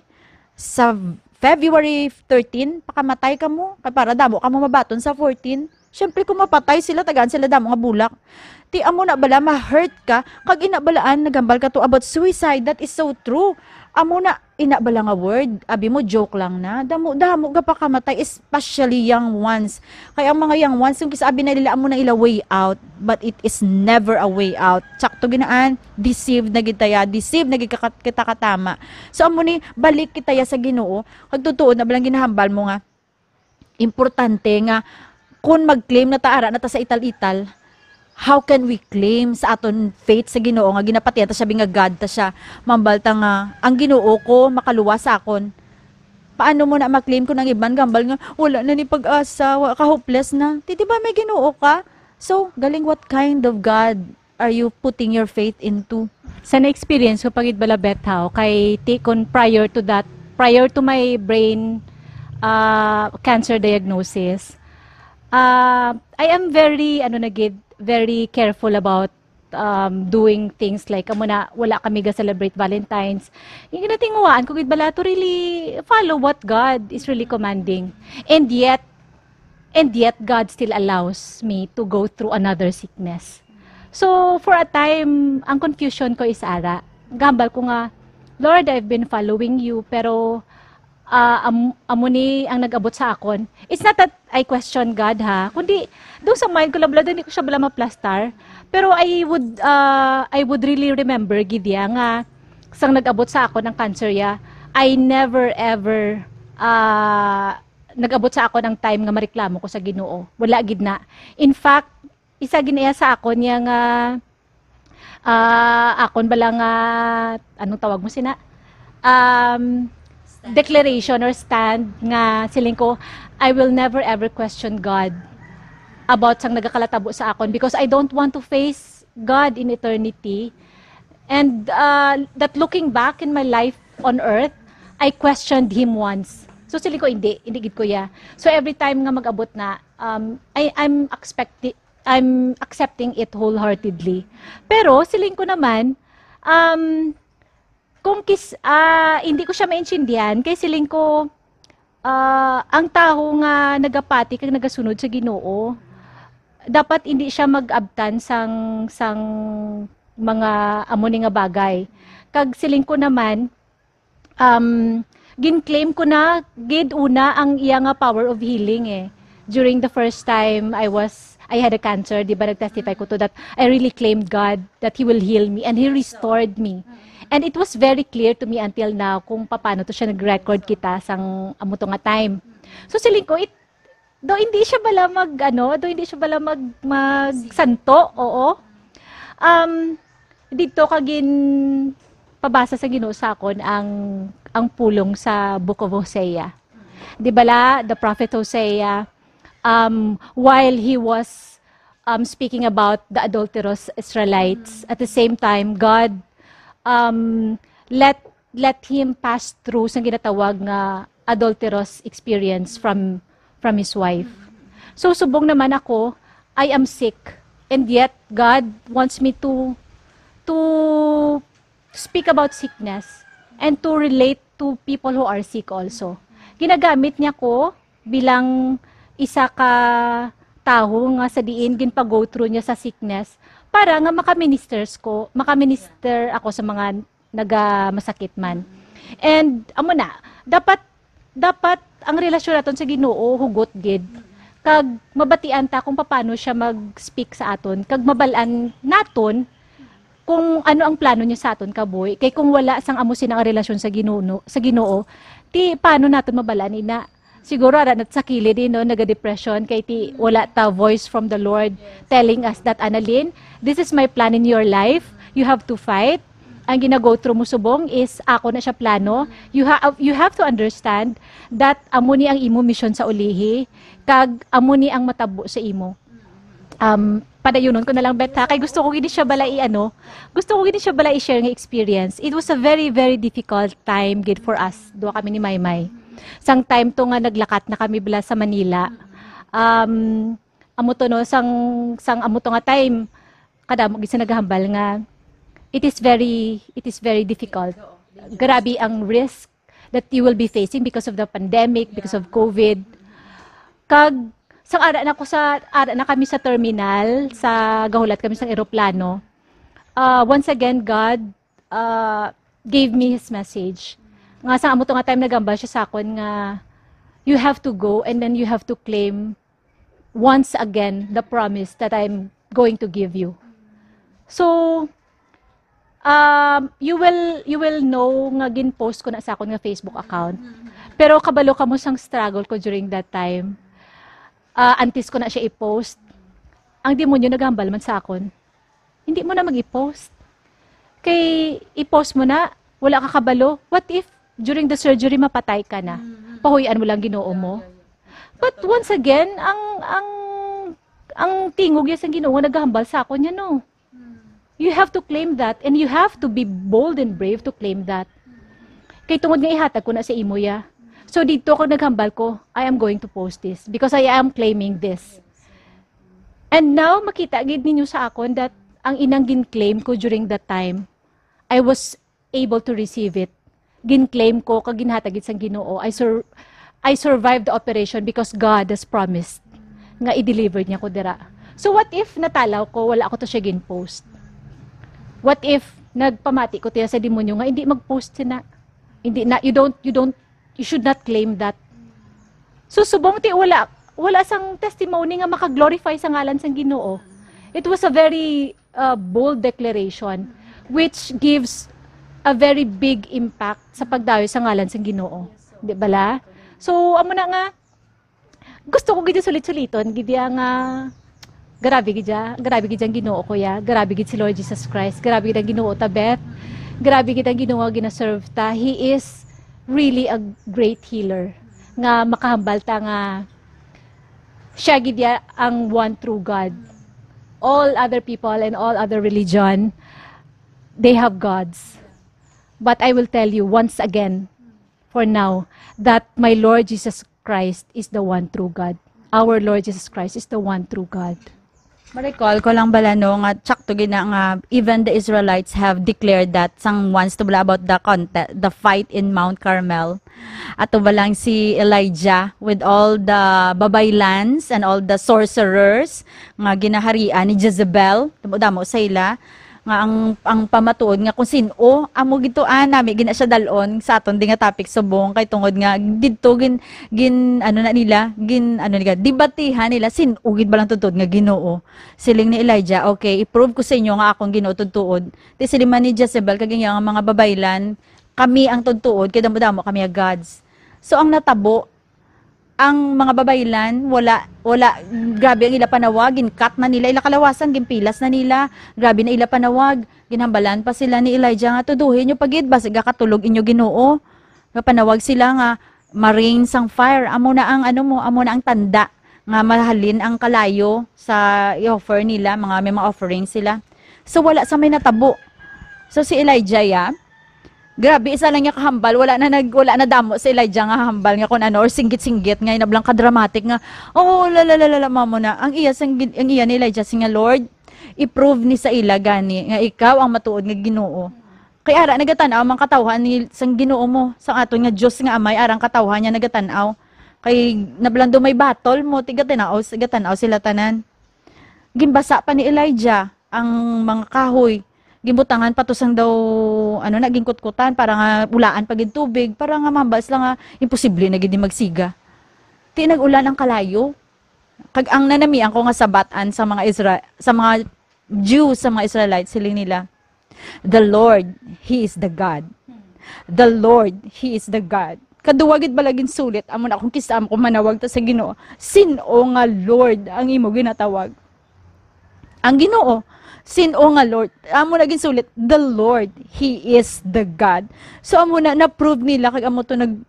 sa February thirteen, pakamatay kamo. Kay para damo kamo mabaton sa fourteen." Siyempre, kung mapatay sila, tagaan sila damo nga bulak. Ti amo na bala, ma-hurt ka, kag ina balaan, naghambal ka to about suicide. That is so true. Amo na, ina bala nga word, abi mo, joke lang na. Damo, damo ga pakamatay, especially young ones. Kay ang mga young ones, yung kisabi na nila, amo na ila way out, but it is never a way out. Sakto ginaan, deceived na gid taya, deceived na gid ka-, kita katama. So, amo ni, balik kita ya sa Ginoo. Kag totoo na balang ginahambal mo nga, importante nga kung mag-claim na ta, ara na ta sa ital-ital, how can we claim sa aton faith sa Ginoo nga ginapatihan ta siya, nga God ta siya? Mambal ta nga, "Ang Ginoo ko makaluwas sa akon." Paano mo na ma-claim kung ang iban gambal nga, "Wala na ni pag-asa, wa ka, hopeless na"? Ti, di ba may Ginoo ka? So, galing, what kind of God are you putting your faith into? Sa na-experience ko pa gid bala, Beth, haw, kay ti-, kun prior to that, prior to my brain, ah, cancer diagnosis, ah, I am very, ano na gid, very careful about, um, doing things like, amo na, wala kami ga-celebrate Valentine's. Yung ginatinguhaan ko gid bala to really follow what God is really commanding. And yet, and yet God still allows me to go through another sickness. So, for a time, ang confusion ko is ara. Gambal ko nga, "Lord, I've been following you, pero, ah, am-, amo ni ang nag-abot sa akon." It's not that I question God, ha, kundi doon sa mind ko, labla, hindi ko siya bala maplastar. Pero I would, ah, I would really remember gid ya nga sang nag-abot sa akon ang cancer ya, I never ever, ah, nag-abot sa akon ang time nga mareklamo ko sa Ginoo. Wala gid na. In fact, isa gid na iya sa akon ya nga, ah, akon bala nga, anong tawag mo sina? Um, declaration or stand nga siling ko, "I will never ever question God about sang nagakalatabo sa akon because I don't want to face God in eternity." And, uh, that looking back in my life on earth, I questioned Him once. So, siling ko, "Hindi, hindi gid ko ya." So, every time nga mag-abot na, um, I, I'm expecti-, I'm accepting it wholeheartedly. Pero, siling ko naman, um, kung kis-, ah, hindi ko siya maintindihan, kay siling ko, ah, ang tawo nga nagapati kag nagasunod sa Ginoo, dapat hindi siya mag-abtan sang, sang mga amo ni nga bagay. Kag siling ko naman, um, gin-claim ko na gid una ang iya nga power of healing, eh. During the first time I was, I had a cancer, di ba, nag-testify ko to that I really claimed God that He will heal me, and He restored me. And it was very clear to me until now kung paano to siya nag-record kita sang amo to nga time. So, siling ko, it, do hindi siya bala mag, ano, do hindi siya bala mag, magsanto, oo. Um, dito ka gin pabasa sa Ginoo sa akon ang, ang pulong sa Book of Hosea. Di bala, the prophet Hosea, um, while he was, um, speaking about the adulterous Israelites, at the same time, God, um, let, let him pass through sa ginatawag nga adulterous experience from, from his wife. So, subong naman ako, I am sick. And yet, God wants me to, to speak about sickness and to relate to people who are sick also. Ginagamit niya ko bilang isa ka tawo nga sa diin ginpa-go through niya sa sickness para nga maka-ministers ko, maka-minister ako sa mga nagamasakit man. And amo na, dapat, dapat ang relasyon naton sa Ginoo hugot gid. Kag mabatian ta kung paano siya mag-speak sa aton, kag mabal-an naton kung ano ang plano niya sa aton kabuhi. Kay kung wala sang amo sina ang relasyon sa Ginoo, sa Ginoo, ti paano naton mabal-an ina? Siguro ara na sa kilid, eh, no, naga-depression kay ti wala ta voice from the Lord telling us that, "Annalyn, this is my plan in your life. You have to fight. Ang gina-go through mo subong is ako na siya plano. You ha-, you have to understand that amo ni ang imo mission sa ulihi, kag amo ni ang matabo sa imo." Um, padayunon ko na lang, Beth, ha? Kay gusto ko gid siya bala i-, ano, gusto ko gid siya bala i-share nga experience. It was a very, very difficult time gid for us. Duha kami ni Maymay. Sang time to nga naglakat na kami bala sa Manila. Um, amo to, no, sang, sang amo to nga time, kadamo gid sa naghambal nga it is very, it is very difficult. Grabe ang risk that you will be facing because of the pandemic, because of COVID. Kag Sang ara na ko sa, ara na kami sa terminal, sa gahulat kami sang eroplano. Uh, once again, God uh, gave me His message. Nga sa amo to nga time, naghambal siya sa akon nga, "You have to go and then you have to claim once again the promise that I'm going to give you." So, um, you will, you will know nga gin-post ko na sa akon nga Facebook account. Pero kabalo kamo sang struggle ko during that time. Ah, antes ko na siya i-post, ang demonyo naghambal man sa akon, "Hindi mo na mag-i-post. Kay i-post mo na, wala ka kabalo. What if during the surgery mapatay ka na? Pahuy-an mo lang Ginoo mo." But once again, ang, ang, ang tingog niya sa Ginoo nga naghambal sa akon niya, no. You have to claim that, and you have to be bold and brave to claim that. Kay tungod nga ihatag ko na sa imo ya. So dito ko naghambal ko, "I am going to post this because I am claiming this." And now, makita gid ninyo sa akon that ang inang gin-claim ko during that time, I was able to receive it. Gin-claim ko kag ginhatag gid sang Ginoo. I sur-, I survived the operation because God has promised nga i-deliver niya ko dira. So what if natalaw ko, wala ko to siya gin-post? What if nagpamati ko tiya sa demonyo nga hindi mag-post sina? Hindi na, you don't, you don't, you should not claim that. So subong ti wala, wala sang testimony nga maka-glorify sa ngalan sang Ginoo. It was a very uh, bold declaration which gives a very big impact sa pagdayo sa ngalan sang Ginoo. Di bala? So, amo na nga, gusto ko gid sulit-suliton, gid ya nga, grabe gid ya, grabe gid ang Ginoo ko ya, grabe gid si Lord Jesus Christ, grabe gid ang Ginoo ta, Beth, grabe gid ang Ginoo nga ginaserve ta. He is really a great healer nga makahambal ta nga siya gid ya ang one true God. All other people and all other religion, they have gods. But I will tell you once again, for now, that my Lord Jesus Christ is the one true God. Our Lord Jesus Christ is the one true God. Ma-recall ko lang bala, no, nga tsakto gid na nga even the Israelites have declared that sang once to bala about the conte-, the fight in Mount Carmel. Ato ba lang si Elijah with all the babaylans and all the sorcerers nga ginaharian ni Jezebel, damo-damo sa ila, nga ang, ang pamatuod nga kung sin-o, amo gid to, ah, nami gina siya dalon sa aton di nga topic subong, kay tungod nga didto gin, gin, ano na nila, gin, ano nila, debatihan nila, sin-o gid ba lang tuod nga Ginoo. Siling ni Elijah, "Okay, i-prove ko sa inyo nga akong Ginoo tuod." Ti siling man ni Jezebel kag iya nga mga babaylan, "Kami ang tuod, kay damo-damo kami nga gods." So, ang natabo, ang mga babaylan, wala, wala, grabe ang ila panawag, gin-cut na nila ila kalawasan, ginpilas na nila, grabe na ila panawag, ginhambalan pa sila ni Elijah nga, "Tuduhi nyo pa gid, basig gakatulog inyo Ginoo." Nga panawag sila nga, "Ma-rain sang fire." Amo na ang, ano mo, amo na ang tanda nga mahalin ang kalayo sa i-offer nila, mga, may mga offerings sila. So, wala sa may natabo. So, si Elijah, ya, grabe, isa lang niya kahambal, wala na nag-, wala na damo si Elijah nga hambal nga kung ano, or singgit-singgit nga, inablang ka-dramatic nga, "Oh, la, la, la, la, la, mamo na." Ang iya, sang gin-, ang iya ni Elijah, siya nga, "Lord, i-prove ni sa ila gani nga ikaw ang matuod nga Ginoo. Kay ara, nagatan-aw man katawhan ni, sang Ginoo mo, sang aton nga Dios nga Amay, arang katawhan niya nagatan-aw. Kay nablang daw may battle mo, ti gatan-aw, gatan-aw sila tanan." Ginbasa pa ni Elijah ang mga kahoy. Ginbutangan pa to sang daw, ano na, ginkutkutan para nga ulaan pa gid tubig, para nga mahambal sila nga imposible na gid ni magsiga. Ti nag-ulan ang kalayo. Kag ang nanamian ko nga sabatan sa mga Isra-, sa mga Jews, sa mga Israelites, siling nila, "The Lord, He is the God. The Lord, He is the God." Kaduwa gid bala ginsulit, amo na akong kisam kung manawag ta sa Ginoo, "Sin-o nga Lord ang imo ginatawag?" Ang Ginoo, "Sin-o nga Lord?" Amo na ginsulit, "The Lord, He is the God." So, amo na, na-prove nila, kag amo to nag-,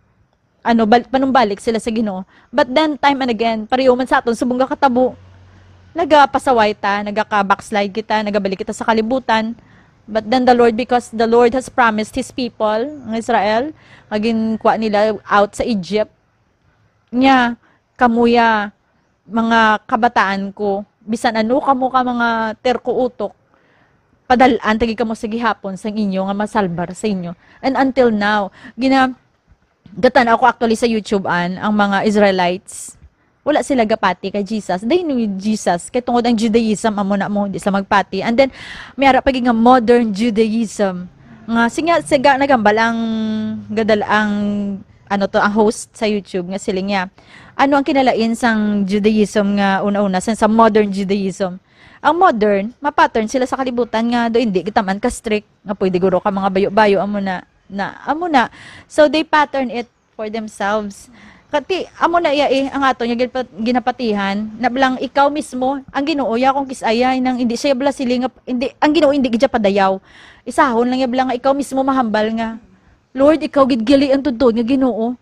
ano, bal-, panumbalik sila sa Ginoo. But then, time and again, pareho man sa aton, subong gakatabo, nagapasaway ta, nagaka-backslide kita, nagabalik kita sa kalibutan. But then the Lord, because the Lord has promised His people, ang Israel, nga ginkuha nila out sa Egypt. Nya, kamo ya, mga kabataan ko, bisan ano kamo ka mga terko utok, padal-an ta gid kamo sa gihapon sang inyo nga masalbar sa inyo. And until now, gina-, gatan-aw ko actually sa YouTube an, ang mga Israelites, wala sila gapati kay Jesus. They knew Jesus. Kay tungod ang Judaism, amo na mo, di sila magpati. And then, may ara pa gid nga modern Judaism. Nga, siga, siga nagambal ang gadal, ang, ano to, ang host sa YouTube nga siling niya, "Ano ang kinalain sang Judaism nga una-una, sang sa modern Judaism?" Ang modern, ma-pattern sila sa kalibutan nga do hindi kita man ka strict, nga pwede guro ka mga bayo-bayo, amo na, na, amo na. So, they pattern it for themselves. Kati, amo na iya eh, ang ato nga ginpa-, ginapatihan, na bala nga ikaw mismo, ang Ginoo ya kung kis-aya, nang hindi siya bala siling nga, hindi, ang Ginoo hindi gid siya padayaw. Isahon lang ya bala nga ikaw mismo mahambal nga, "Lord, ikaw gid gali ang tuod nga Ginoo."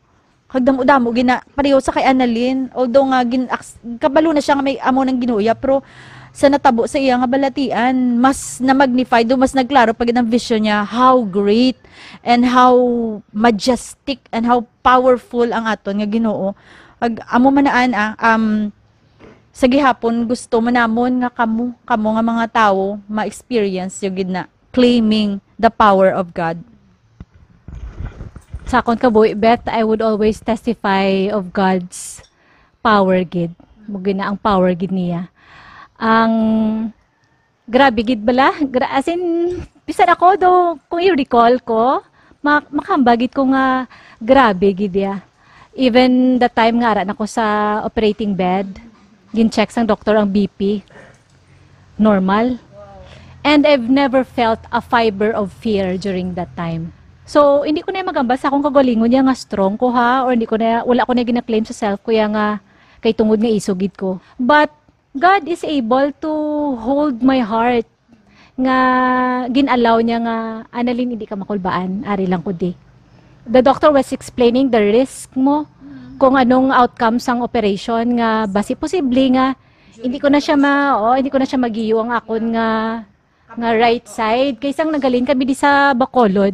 Kag damo-damo gina, pareho sa kay Annalyn, although nga gin, aks-, kabalo na siya nga may amo nang Ginoo ya, pero sa natabo sa iya nga balatian, mas na-magnify do, mas nagklaro pa gid ang vision niya, how great and how majestic and how powerful ang aton nga Ginoo. Ag, amo man na, ah, um, sa gihapon, gusto man namon nga kamo, kamo nga mga tawo, ma-experience yo gid na, claiming the power of God. Sa akon kabuhi, Beth, I would always testify of God's power gid. Mo gid na ang power gid niya. Ang grabe gid bala, gra-, as in, bisan ako do, kung i-recall ko, ma-, makahambal gid ko nga grabe gid ya. Even the time nga ara na ko sa operating bed, gin-check sang doktor ang B P. Normal. And I've never felt a fiber of fear during that time. So, hindi ko na magambal sa akong kagalingon ya nga strong ko ha, or hindi ko na, wala ko na gina-claim sa self ko ya nga kay tungod nga isog gid ko. But God is able to hold my heart nga gin-allow niya nga, "Annalyn, hindi ka makulbaan, ari lang ko di." The doctor was explaining the risk mo, kung anong outcome sang operation nga basi posible nga hindi ko na siya ma-, oo, hindi ko na siya magiyo ang akon nga, nga right side. Kay sang naghalin kami di sa Bacolod.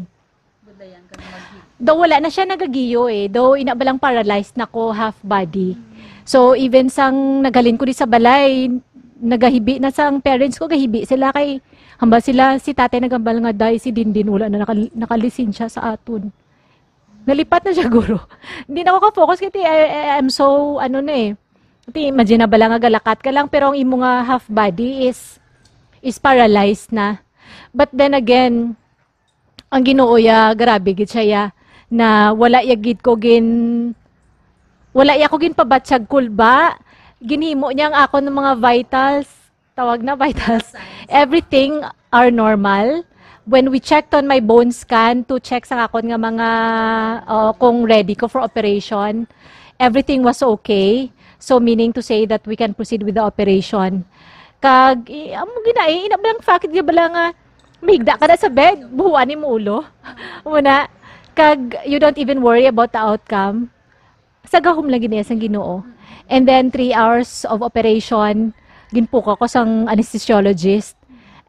Daw wala na siya nagagiyo eh. Daw ina ba lang paralyzed na ko half body. So even sang naghalin ko di sa balay, nagahibi na sang parents ko, gahibi sila kay hambal sila si tatay nagambal nga, "Day, si Dindin wala na nakal-, nakalisensya sa aton." Nalipat na siya, guro. Hindi na ako ka-focus kasi I, I, I'm so, ano na eh. Kasi imagine na ba lang nga galakat ka lang, pero ang imo nga half body is, is paralyzed na. But then again, ang Ginoo ya, grabe gid siya ya, na wala ya gid ko gin-, wala ya ko ginpabatyag kulba, ginhimo niya ang akon mga vitals, tawag na vitals. Everything are normal. When we checked on my bone scan to check sa akon nga mga, uh, kung ready ko for operation, everything was okay. So, meaning to say that we can proceed with the operation. Kag, i-, amo gina, eh, ina ba lang fakit di bala nga, mahigda ka na sa bed, buhuan mo ulo. Muna, kag you don't even worry about the outcome. Sa gahom lang gid niya sang Ginoo. And then, three hours of operation, ginpukaw ko sang anesthesiologist.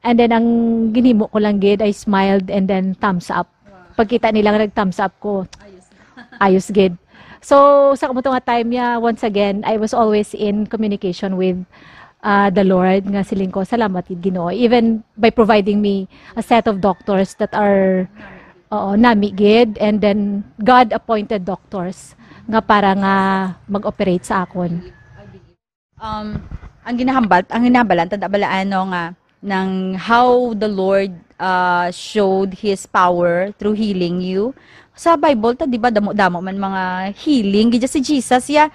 And then, ang ginhimo ko lang gid, I smiled and then thumbs up. Pagkita nila nga nag-thumbs up ko, ayos gid. So, sa kamuto nga time niya, once again, I was always in communication with, uh, the Lord, nga siling ko, "Salamat gid, Ginoo." Even by providing me a set of doctors that are, oo, nami gid, and then God-appointed doctors nga para nga mag-operate sa akon. Um, ang ginahambal, ang ginahambalan, tanda bala, ano, nga, nang how the Lord, uh, showed His power through healing you. Sa Bible, ta, di ba, damo-damo man mga healing. Gidya si Jesus, ya,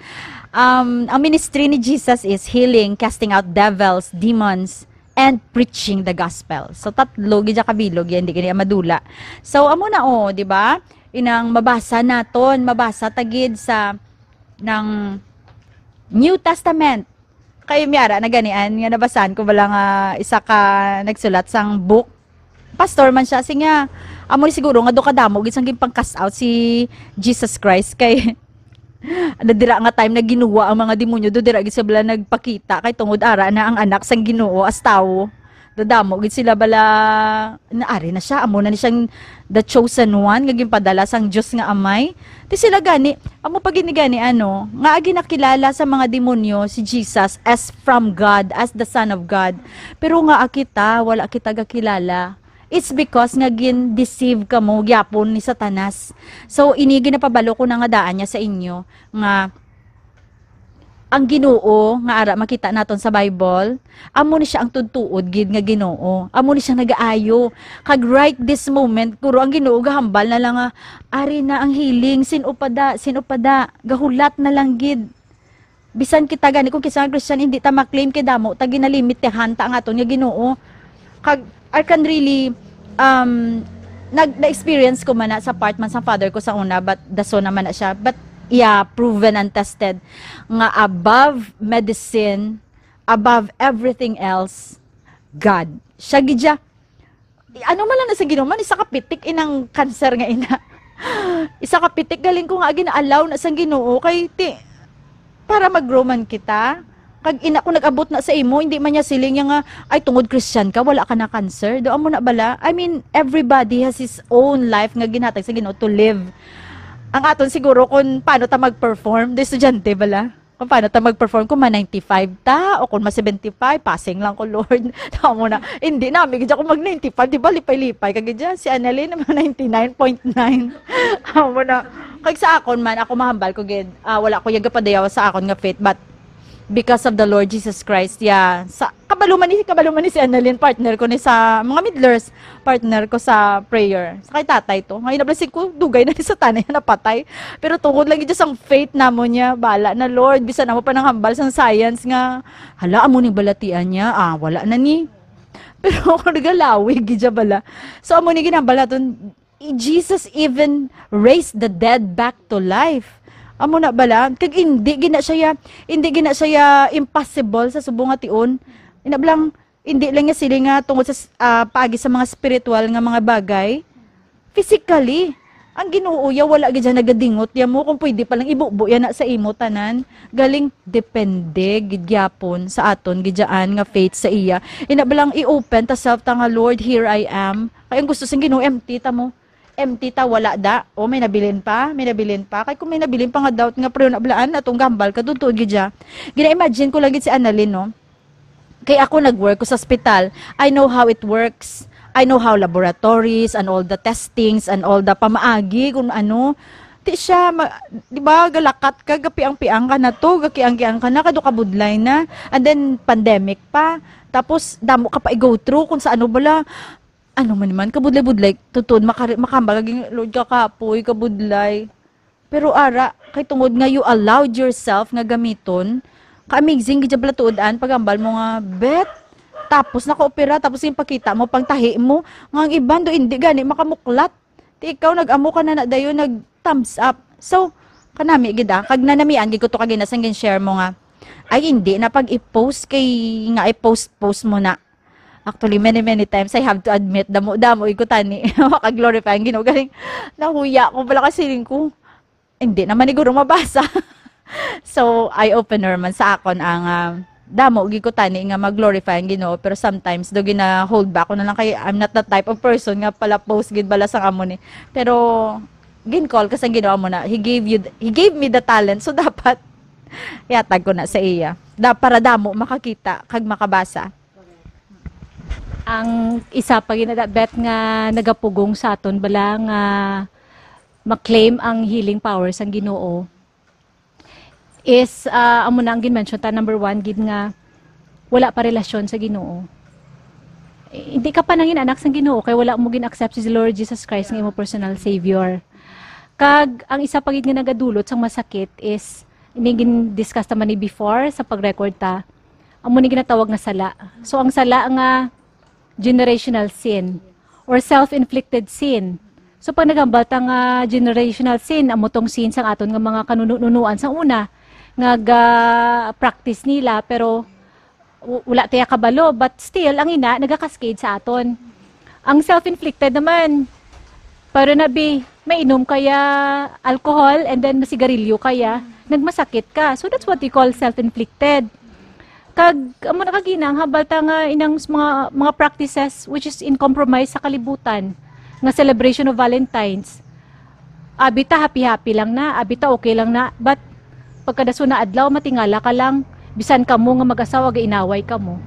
um, ang ministry ni Jesus is healing, casting out devils, demons, and preaching the gospel. So, tatlo, gidya kabilog yan, di kini madula. So, amo na, oh, di ba? Inang mabasa naton, mabasa tagid sa, ng New Testament. Kay miara na ganian nga nabasahan ko bala nga isa ka nagsulat sang book. Pastor man siya, siya nga, amo ni siguro nga do kadamo gid sang ginpang-cast out si Jesus Christ kay nadira nga time na ginuwa ang mga demonyo, do dira gid sila nagpakita kay tungod ara na ang anak sang Ginoo as tawo. Dadamo gid sila bala, naari na siya, amo na ni siyang the chosen one nga ginpadala sang Dios nga Amay. Ti sila gani, amo pa gid ni gani, ano, nga ginakilala sa mga demonyo si Jesus as from God, as the Son of God. Pero nga kita, wala kita gakilala. It's because nga gin-deceive kamo gyapon ni Satanas. So, ini ginapabalo ko na nga daan niya sa inyo nga Ang Ginoo nga ara makita naton sa Bible, amo ni siya ang tudtuod gid nga Ginoo. Amo ni siya nagaayo. Kag right this moment, guro ang Ginoo gahambal na lang nga, "Ari na ang healing, sin-o pa da, sin-o pa da, gahulat na lang gid." Bisan kita gani kung kinsa nga Christian, hindi ta ma-claim kay damo ta ginalimitahan ta ang aton nga Ginoo. Kag I can really, um, nag-, na-experience ko man na sa part man sa father ko sa una, but the son naman na siya. But yeah, proven and tested nga above medicine, above everything else, God. Siya gid siya. Ano man lang na sa Ginoo man, isa ka pitik inang cancer nga ina. Isa ka pitik galing ko nga gina-allow na sang Ginoo kay ti, para mag-grow man kita. Kag ina ko nag-abot na sa imo, hindi man niya siling niya nga, "Ay, tungod Christian ka, wala ka na cancer." Do amo na bala? I mean, everybody has his own life nga ginhatag sa Ginoo to live. Ang aton siguro kung paano ta mag-perform, do estudyante bala. Kung paano ta mag-perform, kung ma ninety-five ta, o kung ma seventy-five, passing lang ko, Lord. Tama na. Hindi na, may gid ako mag ninety-five, di ba, lipay-lipay. Kag gid si Annalyn, mga ninety-nine point nine. Amo na. Kag sa akon man, ako mahambal ko gid, ah, wala ko yagapadayaw sa akon nga faith, but because of the Lord Jesus Christ, yeah. Sa, kabalo man ni, kabalo man ni si Annalyn, partner ko ni sa mga midlers, partner ko sa prayer. Sa kay tatay to. Ngayon na blessing ko, dugay na ni sa tanay na napatay. Pero tungod lang gid sang faith namo niya, bala na, Lord, bisan amo pa nang hambal sang science nga, "Hala, amo ni balatian niya, ah, wala na ni." Pero ako nagalawig gid siya bala. So, amo ni ginambal naton, Jesus even raised the dead back to life. Amo na bala, kag hindi gina siya, hindi gina siya impossible sa subong nga tion. Ina lang, hindi lang nga sila nga tungod sa s-, ah, paagi sa mga spiritual nga mga bagay. Physically, ang Ginoo ya wala gid siya nagadingot ya mo kung pwede pa lang ibubo ya na sa imo tanan. Galing depende gid gyapon sa aton gid dyan nga faith sa iya. Ina ba lang i-open ta self ta nga, "Lord, here I am." Kay ang gusto sing Ginoo, empty ta mo. Empty ta, wala da. O, may nabilin pa, may nabilin pa. Kay kung may nabilin pa nga doubt nga, pero nablaan, atong gambal ka, tuod gid siya. Gina-imagine ko lang gid si Annalyn, no? Kay ako nag-work ko sa ospital. I know how it works. I know how laboratories and all the testings and all the pamaagi kung ano. Ti siya, ma-, di ba, galakat ka, gapiang-piang ka na to, gakiang-kiang ka na, kado kabudlay na. And then, pandemic pa. Tapos, damo ka pa i-go through kung sa ano bala. Ano man man, kabudlay-budlay, tuod, makari-, makambal, lagi, "Lord, kakapoy, kabudlay." Pero ara, kay tungod nga you allowed yourself nga gamiton, ka-amazing gid bala tuod-an, pagambal mo nga, "Bet, tapos nakaopera, tapos yung pakita mo, pang tahi mo, nga ang iban do hindi gani makamuklat." Ti ikaw, nag-amo ka na na dayon, nag-thumbs up. So, kanami gid, ah, kag nanamian gid ko to kagina sang gin-share mo nga, "Ay, hindi na pag i-post kay nga i-post-post mo na." Actually, many, many times, I have to admit, damo-damo, igo tani, maka-glorify ang Ginoo. Galing, nahuya ko pala kasi siling ko, hindi naman ni guro mabasa. So, eye-opener man sa akon ang, ah, damo, gid ko tani nga mag-glorify ang Ginoo, pero sometimes, do gina-hold back ko na lang kay I'm not the type of person nga pala post gid bala sang amo ni. Pero, gin-call ka sang Ginoo mo na, He gave you, He gave me the talent, so dapat, yatag ko na sa iya. Da, para damo, makakita, kag makabasa. Ang isa pa gid na bet nga nagapugong sa aton bala nga ma-claim ang healing power sang Ginoo is, ah, amo na ang gin-mention ta, number one gid nga wala pa relasyon sa Ginoo. Eh, hindi ka pa nangin anak sang Ginoo kay wala mo gin-accept si Lord Jesus Christ nga imo personal Savior. Kag ang isa pa gid nga nagadulot sang masakit is, ini gin-discuss naman ni before sa pag-record ta, amo ni ginatawag nga sala. So, ang sala nga generational sin or self-inflicted sin. So, pag naghambal ta nga generational sin, amo tong sin sang aton nga mga kanununuan sa una, nga ga-practice nila, pero w-, wala tayo kabalo, but still, ang ina, nagakascade sa aton. Ang self-inflicted naman, pero nabi, mainom kaya alcohol and then masigarilyo kaya, nagmasakit ka. So, that's what we call self-inflicted. Kag, amo na kagina, ang hambal ta nga inang s-, mga, mga practices which is in compromise sa kalibutan, nga celebration of Valentine's. Abi ta, happy-happy lang na, abi ta, okay lang na, but pagkadason na adlaw, matingala ka lang, bisan kamo nga mag-asawa, gainaway kamo.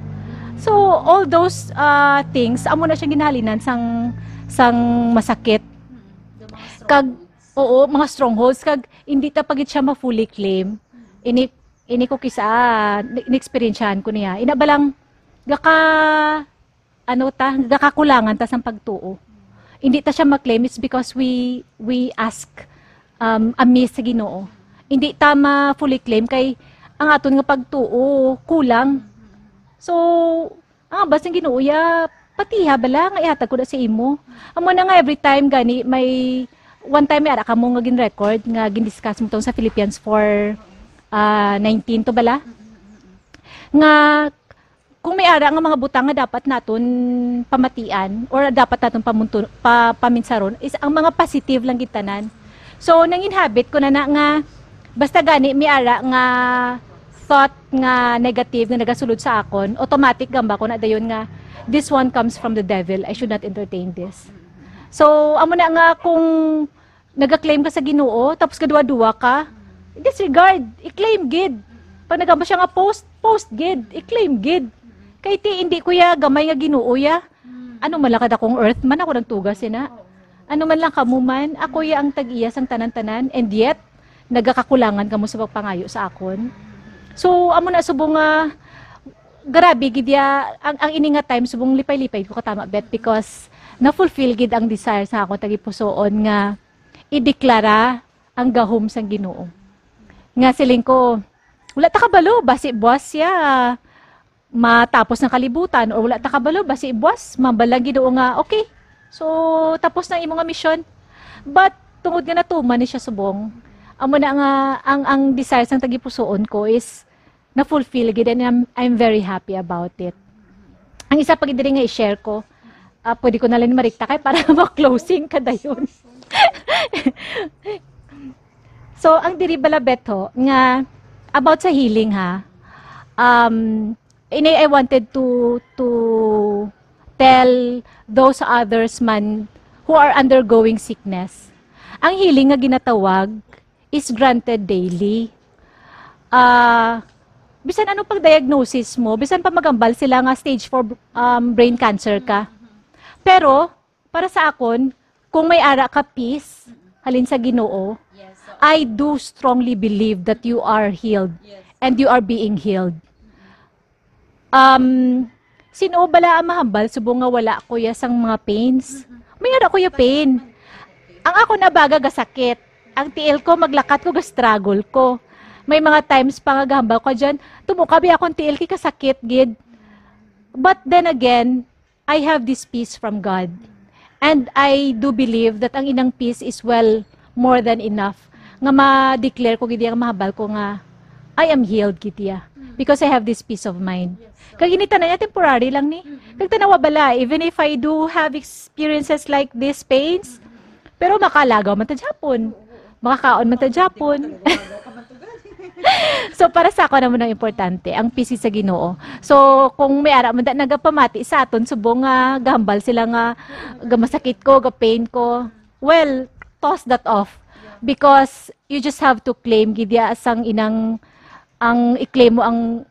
So, all those, ah, things, amo na siya ginhalinan sang, sang masakit. Kag, oo, mga strongholds, kag hindi ta pa gid siya ma-fully claim. Ini, Ini ko kisa, ah, ni-, ni-experiencehan ko niya. Ina ba lang, gaka, ano ta, gakakulangan ta sang pagtuo. Hindi ta siya ma-claim, it's because we, we ask, um, amiss sa Ginoo. Hindi ta ma-fully claim kay ang aton nga pagtuo kulang. So, ang ambal sang Ginoo, ya, patiha bala nga ihatag ko na sa imo. Amo na nga, every time gani may, one time may ara kamo nga gin-record, nga gin-discuss mo tong sa Philippians four, ah, nineteen to bala? Nga kung may ara nga mga butang nga dapat naton pamatian or dapat naton pamunto-, pa-, paminsaron, is ang mga positive lang gid tanan. So, nangin habit ko na na nga, basta gani may ara nga thought nga negative nga nagasulod sa akon, automatic gamba ko na dayon nga, "This one comes from the devil. I should not entertain this." So, amo na nga, kung naga-claim ka sa Ginoo, tapos kaduwa-duwa ka, disregard, i-claim gid. Pag nagamba siya nga post, post gid, i-claim gid. Kay ti, hindi ko ya gamay nga Ginoo ya. Ano man lang kadakong earth man ako nagtuga sina. Ano man lang kamo man, ako ya ang tag-iya sang tanan-tanan, and yet, nagakakulangan kamo sa pagpangayo sa akon. So, amo na subong nga, grabe gid ya, ang, ang ini nga time, subong lipay-lipay ko katama, Bet, because na-fulfill gid ang desire sa akon tagipusoon nga ideklara ang gahom sang Ginoo. Nga siling ko, "Wala ta kabalo, basi buwas siya matapos ang kalibutan, or wala ta kabalo, basi buwas, mambal lang Ginoo nga, okay, so, tapos na imo nga mission." But, tungod nga natuman ni siya subong, amo na nga, ang, ang desire sang tagipusoon ko is na-fulfill gid, and I'm, I'm very happy about it. Ang isa pa gid diri nga i-share ko, ah, pwede ko na lang marikta kay para ma-closing ka dayon. So, ang diri bala, Beto, nga about sa healing, ha, um, ini I wanted to, to tell those others man who are undergoing sickness. Ang healing nga ginatawag is granted daily. Ah, bisan ano pang diagnosis mo, bisan pa magambal sila nga stage four, um, brain cancer ka. Pero, para sa akon, kung may ara ka peace, halin sa Ginoo, Yes, so I do strongly believe that you are healed Yes. and you are being healed. Um, sino bala ang mahambal subong nga wala ko ya sang mga pains? May ara ko ya pain. Ang ako na baga gasakit. Ang tiil ko, maglakat ko, ga-struggle ko. May mga times pa nga gahambal ko dyan, "Tumuka bi akong tiil kay kasakit gid." But then again, I have this peace from God. And I do believe that ang inang peace is well more than enough nga ma-declare ko gid ang mahambal ko nga, "I am healed," gid ya. Because I have this peace of mind. Kag ini tanan niya temporary lang ni. Kag tanawa bala, even if I do have experiences like these pains, pero makalagaw man ta gyapon. Makakaon man ta gyapon. So, para sa ako naman ang importante, ang peace sa Ginoo. So, kung may ara man da nagapamati sa aton subong nga gahambal sila nga, "Gamasakit ko, ga-pain ko," well, toss that off. Because you just have to claim gid ya sang inang, ang i-claim mo ang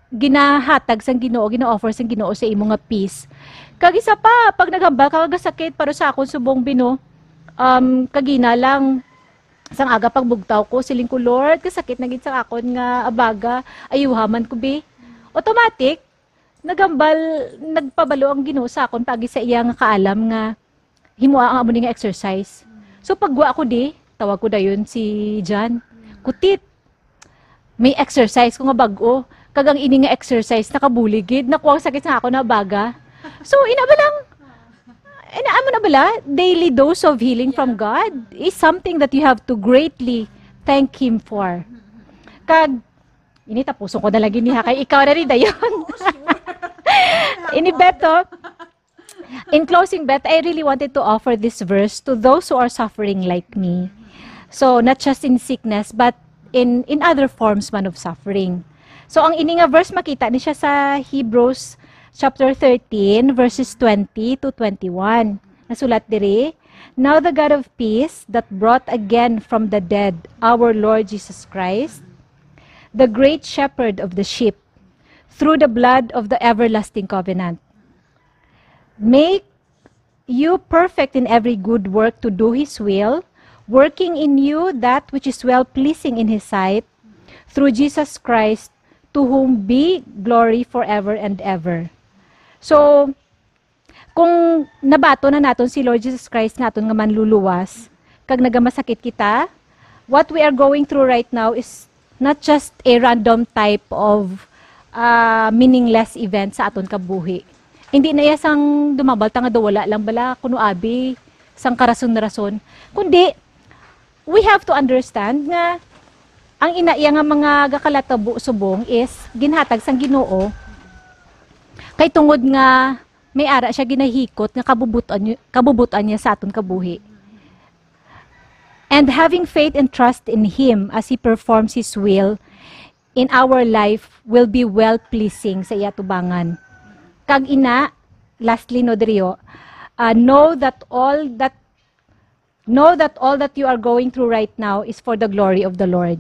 ginahatag sang Ginoo, gina-offer sang Ginoo sa imo nga peace. Kag isa pa, pag naghambal ka nga gasakit, para sa akon subong bino, um, kagina lang, sang aga pagbugtaw ko, siling ko, "Lord, kasakit na gid sang akon nga abaga, ayuha man ko bi." Automatic, naghambal, nagpabalo ang Ginoo sa akon paagi sa iya nga kaalam nga himoa ang amo ni nga exercise. So, pagwa ko di, tawag ko dayon si John. "Kutit, may exercise ko nga bag-o. Kag ang ini nga exercise, nakabulig gid. Nakuha ang sakit sa ako na baga." So, ina ba lang, ina, amo na bala, daily dose of healing from God is something that you have to greatly thank Him for. Kag, ini tapuson ko na lagi niha, kay ikaw na rin dayon. Ini Beto, In closing, Beth, I really wanted to offer this verse to those who are suffering like me. So, not just in sickness, but in, in other forms man of suffering. So, ang ini nga verse, makita ni siya sa Hebrews chapter thirteen, verses twenty to twenty-one. Nasulat diri, "Now the God of peace, that brought again from the dead our Lord Jesus Christ, the great shepherd of the sheep, through the blood of the everlasting covenant, make you perfect in every good work to do His will, working in you that which is well pleasing in His sight, through Jesus Christ, to whom be glory forever and ever. So, kung nabaton na naton si Lord Jesus Christ nga aton nga manluluwas, kag nagamasakit kita, what we are going through right now is not just a random type of, ah, meaningless event sa aton kabuhi. Hindi na iya sang dumabal ta nga daw wala lang bala kuno abi sang karason-rason, kundi we have to understand nga ang ina iya nga mga gakalatabo subong is ginhatag sang Ginoo, kay tungod nga may ara siya ginahikot nga kabubutan, kabubutan niya sa aton kabuhi. And having faith and trust in Him as He performs His will in our life will be well-pleasing sa iya tubangan. Kag ina, lastly, no, diriyo, uh, know that all that know that all that you are going through right now is for the glory of the Lord.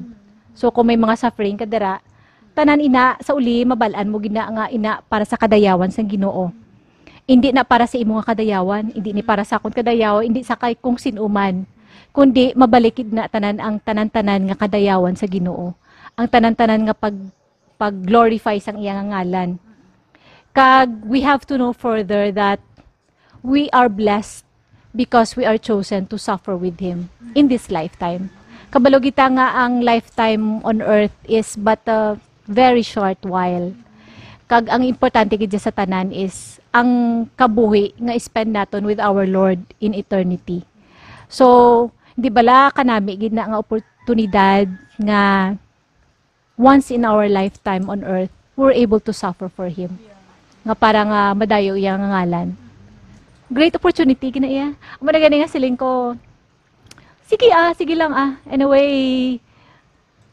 So, kung may mga suffering ka dira, tanan ina, sa uli, mabal-an mo gina nga ina para sa kadayawan sang Ginoo. Hindi na para sa imo nga kadayawan, hindi ni para sa akon kadayawan, hindi sa kay kung sin-o man, kundi mabalik gid na tanan ang tanan-tanan nga kadayawan sa Ginoo, ang tanan-tanan nga pag pag-glorify sang iya nga ngalan. Kag we have to know further that we are blessed because we are chosen to suffer with Him in this lifetime. Kabalo kita nga ang lifetime on earth is but a very short while. Kag ang importante gid sa tanan is ang kabuhi nga spend naton with our Lord in eternity. So, di bala kanami gid na nga oportunidad nga once in our lifetime on earth, we're able to suffer for Him. Nga para nga madayo iya nga ngalan. Great opportunity gina iya. Amo na gani nga siling ko, sige ah, sige lang ah. Anyway,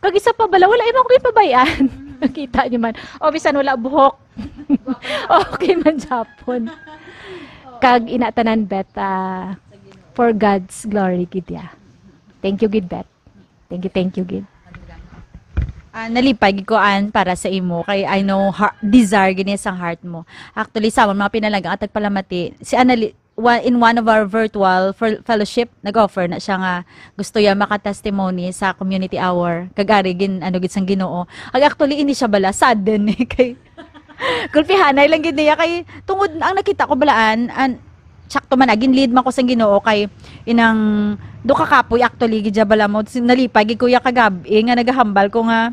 kag isa pa bala, wala imong ginpabayan. Kita niyo man. O, bisan wala buhok. Okay man, Japon. Kag ina tanan, bet, ah, for God's glory gid ya. Thank you gid, bet. Thank you, thank you gid. Ah, nalipay gid ko, Ann, para sa imo, kay I know har-, desire gid ni sang heart mo. Actually, sa amon mga pinalangga nga tagpalamati, si Annali-, wa-, in one of our virtual fel-, fellowship, nag-offer na siya nga gusto ya maka-testimony sa community hour. Kag ari gin-, ano gid sang Ginoo. Kag actually, ini siya bala, sudden eh, kay gulpihanay lang gid niya kay tungod ang nakita ko balaan, an, sakto man, nagin lead man ko sang Ginoo kay inang do ka kapoy actually gid siya bala mo. Sin-, nalipay gid ko ya kagab-i nga nagahambal ko nga,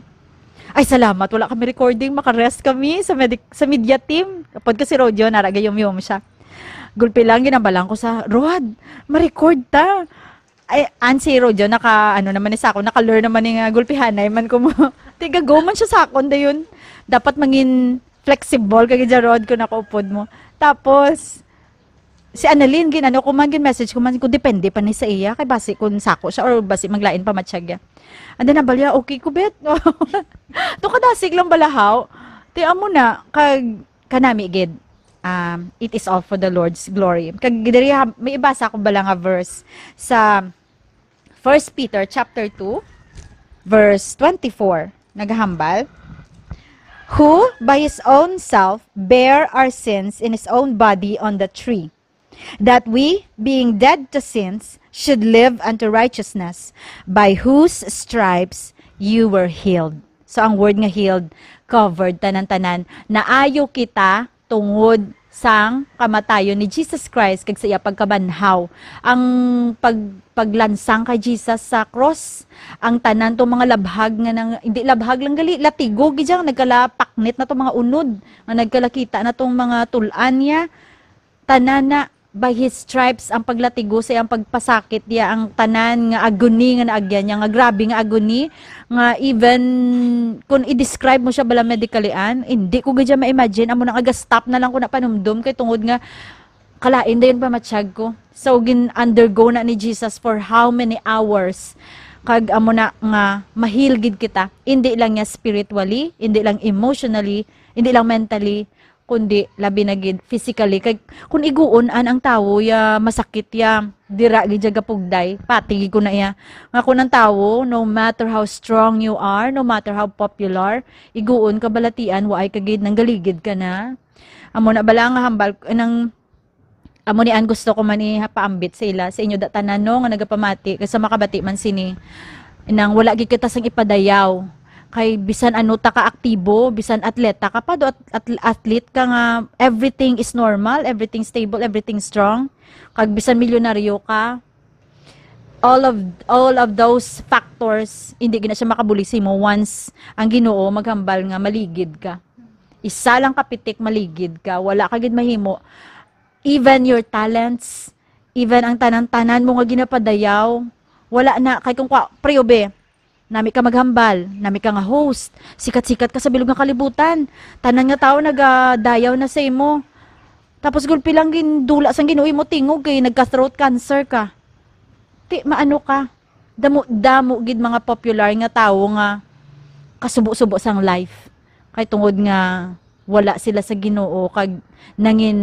"Ay, salamat, wala kami recording, maka-rest kami sa medic-, sa media team." Apod ko si Rojo, nara gayom-yom siya. Gulpi lang, ginabalang ko sa, "Rod, ma-record ta." Ay, an si Rojo, naka, ano naman ni sa ako, naka-learn naman ni nga gulpihanay man ko mo. Tiga go man siya sa akon, dayon. Dapat mangin flexible kay gid, Rod, kung nakaupod mo. Tapos, si Annalyn, gin, ano ko man, gin message ko man, kung depende pa ni sa iya, kay basi kung sako siya or basi maglain pa matsyag ya. And then, nabalya, okay ko, bet. To kadasig lang balahaw. Ti amo na, kag kanami gid, um, it is all for the Lord's glory. Kag diri ha, may ibasa ko bala nga verse sa First Peter chapter two, verse twenty-four. Nagahambal, "Who by his own self bare our sins in his own body on the tree, that we, being dead to sins, should live unto righteousness, by whose stripes you were healed." So, ang word nga healed, covered, tanan-tanan. Naayo kita tungod sang kamatayon ni Jesus Christ kag sa iya pagkabanhaw. Ang pag-, paglansang kay Jesus sa cross, ang tanan tong mga labhag nga nang, hindi labhag lang gali, latigo gid siya, nagkalapaknit na tong mga unod, nga nagkalakita na tong mga tul-an niya. Tanan na, by his stripes, ang paglatigo sa iyang pagpasakit niya, ang tanan nga agony nga naagyan niya, nga grabe nga agony, nga even kung i-describe mo siya bala medically, an, hindi ko gid siya ma-imagine. Amo na nga, ga-stop na lang ko na panumdom kay tungod nga kalain dayon pa matsyag ko. So, gin-undergo na ni Jesus for how many hours. Kag amo na nga, ma-heal gid kita. Hindi lang niya spiritually, hindi lang emotionally, hindi lang mentally, kundi labi na gid physically. Kay kung iguon an ang tawo ya masakit ya, dira gid siya gapugday, pati gid ko na iya. Nga kung ang tawo, no matter how strong you are, no matter how popular, iguon ka balatian, waay ka gid, nanggaligid ka na. Amo na bala nga hambal, nang, amo ni an gusto ko man ipaambit sa ila, sa inyo da tanan, no, nga nagapamati, kay sa makabati man sini, nang wala gid kita sang ipadayaw, Kay bisan ano ta ka aktibo, bisan atleta ka pa, do at-, at-, athlete ka nga, everything is normal, everything stable, everything strong. Kag bisan milyonaryo ka, all of, all of those factors, hindi gina siya makabuli sa imo once ang Ginoo maghambal nga maligid ka. Isa lang ka pitik, maligid ka, wala ka gid mahimo. Even your talents, even ang tanan-tanan mo nga ginapadayaw, wala na. Kay kung kwa, pre, obe, nami ka maghambal, nami ka nga host, sikat-sikat ka sa bilog nga kalibutan. Tanan nga tawo nagadayaw na sa imo. Tapos gulpi lang gindula sang Ginoo imo tingog kay nagka-throat cancer ka. Ti, maano ka? Damo-damo gid mga popular nga tawo nga kasubo-subo sang life. Kay tungod nga wala sila sa Ginoo kag nangin,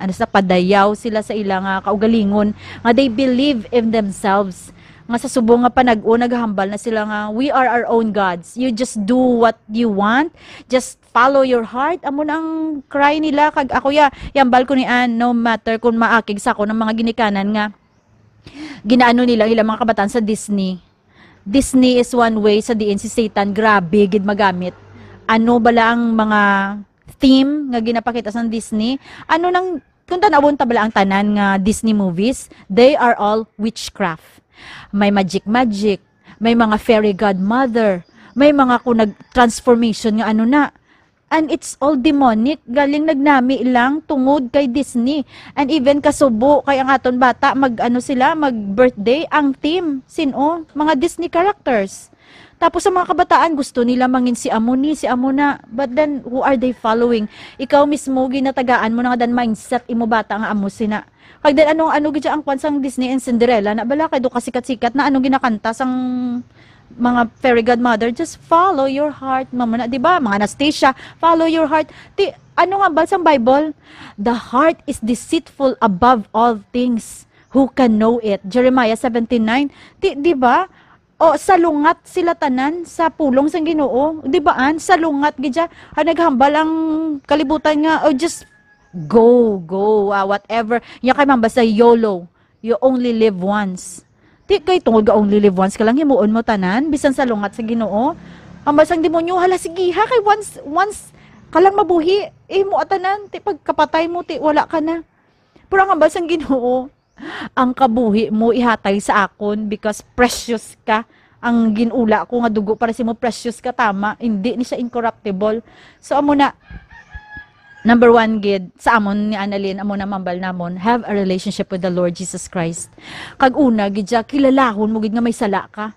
ano, sa padayaw sila sa ila nga kaugalingon, nga they believe in themselves, nga sa subong nga panag-o naghambal na sila nga, "We are our own gods. You just do what you want. Just follow your heart." Amo na ang cry nila. Kag ako, ya, yambal ko ni Ann, no matter kung maakig sa ako ng mga ginikanan nga ginaano nila ilang mga kabataan sa Disney. Disney is one way sa diin si Satan grabe gid magamit. Ano bala ang mga theme nga ginapakita sa Disney? Ano nang, kung tanawon ta bala ang tanan nga Disney movies, they are all witchcraft. May magic-magic, may mga fairy godmother, may mga kung nag-transformation nga ano na. And it's all demonic. Galing nagnami lang tungod kay Disney. And even kasubo kay ang aton bata, mag, ano sila, mag-birthday, ang theme, sino? Mga Disney characters. Tapos sa mga kabataan, gusto nila mangin si amo ni, si amo na. But then, who are they following? Ikaw mismo, ginatagaan mo na nga dan mindset imo bata nga amo sina. Kag then, ano, ano gid siya ang kwan sang Disney and Cinderella? Na bala, kay do kasikat-sikat na, ano ginakanta sang mga fairy godmother? Just follow your heart. Mamo na, di ba? Mga Anastasia, follow your heart. Ti, ano nga ba sang Bible? "The heart is deceitful above all things. Who can know it?" Jeremiah seventeen nine. Ti, di ba? O, salungat sila tanan sa pulong sang Ginoo. Di ba, an? Salungat gid siya. Ay, naghambal ang kalibutan nga, "Oh, just go, go, ah, whatever." Nya kay man basta yolo. You only live once. Ti kay tungod nga only live once ka lang, himuon mo tanan, bisan salungat sa Ginoo. Hambal sang demonyo, "Hala, sige ha, kay once, once ka lang mabuhi, imo tanan, ti pagkapatay mo, ti wala ka na." Pero ang hambal sang Ginoo, ang kabuhi mo ihatay sa akon because precious ka. Ang ginula ko nga dugo para sa imo, precious ka, tama. Hindi ni siya incorruptible. So, amo na, number one gid, sa amon ni Annalyn, amo na mambal namon, have a relationship with the Lord Jesus Christ. Kag una gid siya, kilalahon mo gid nga may sala ka.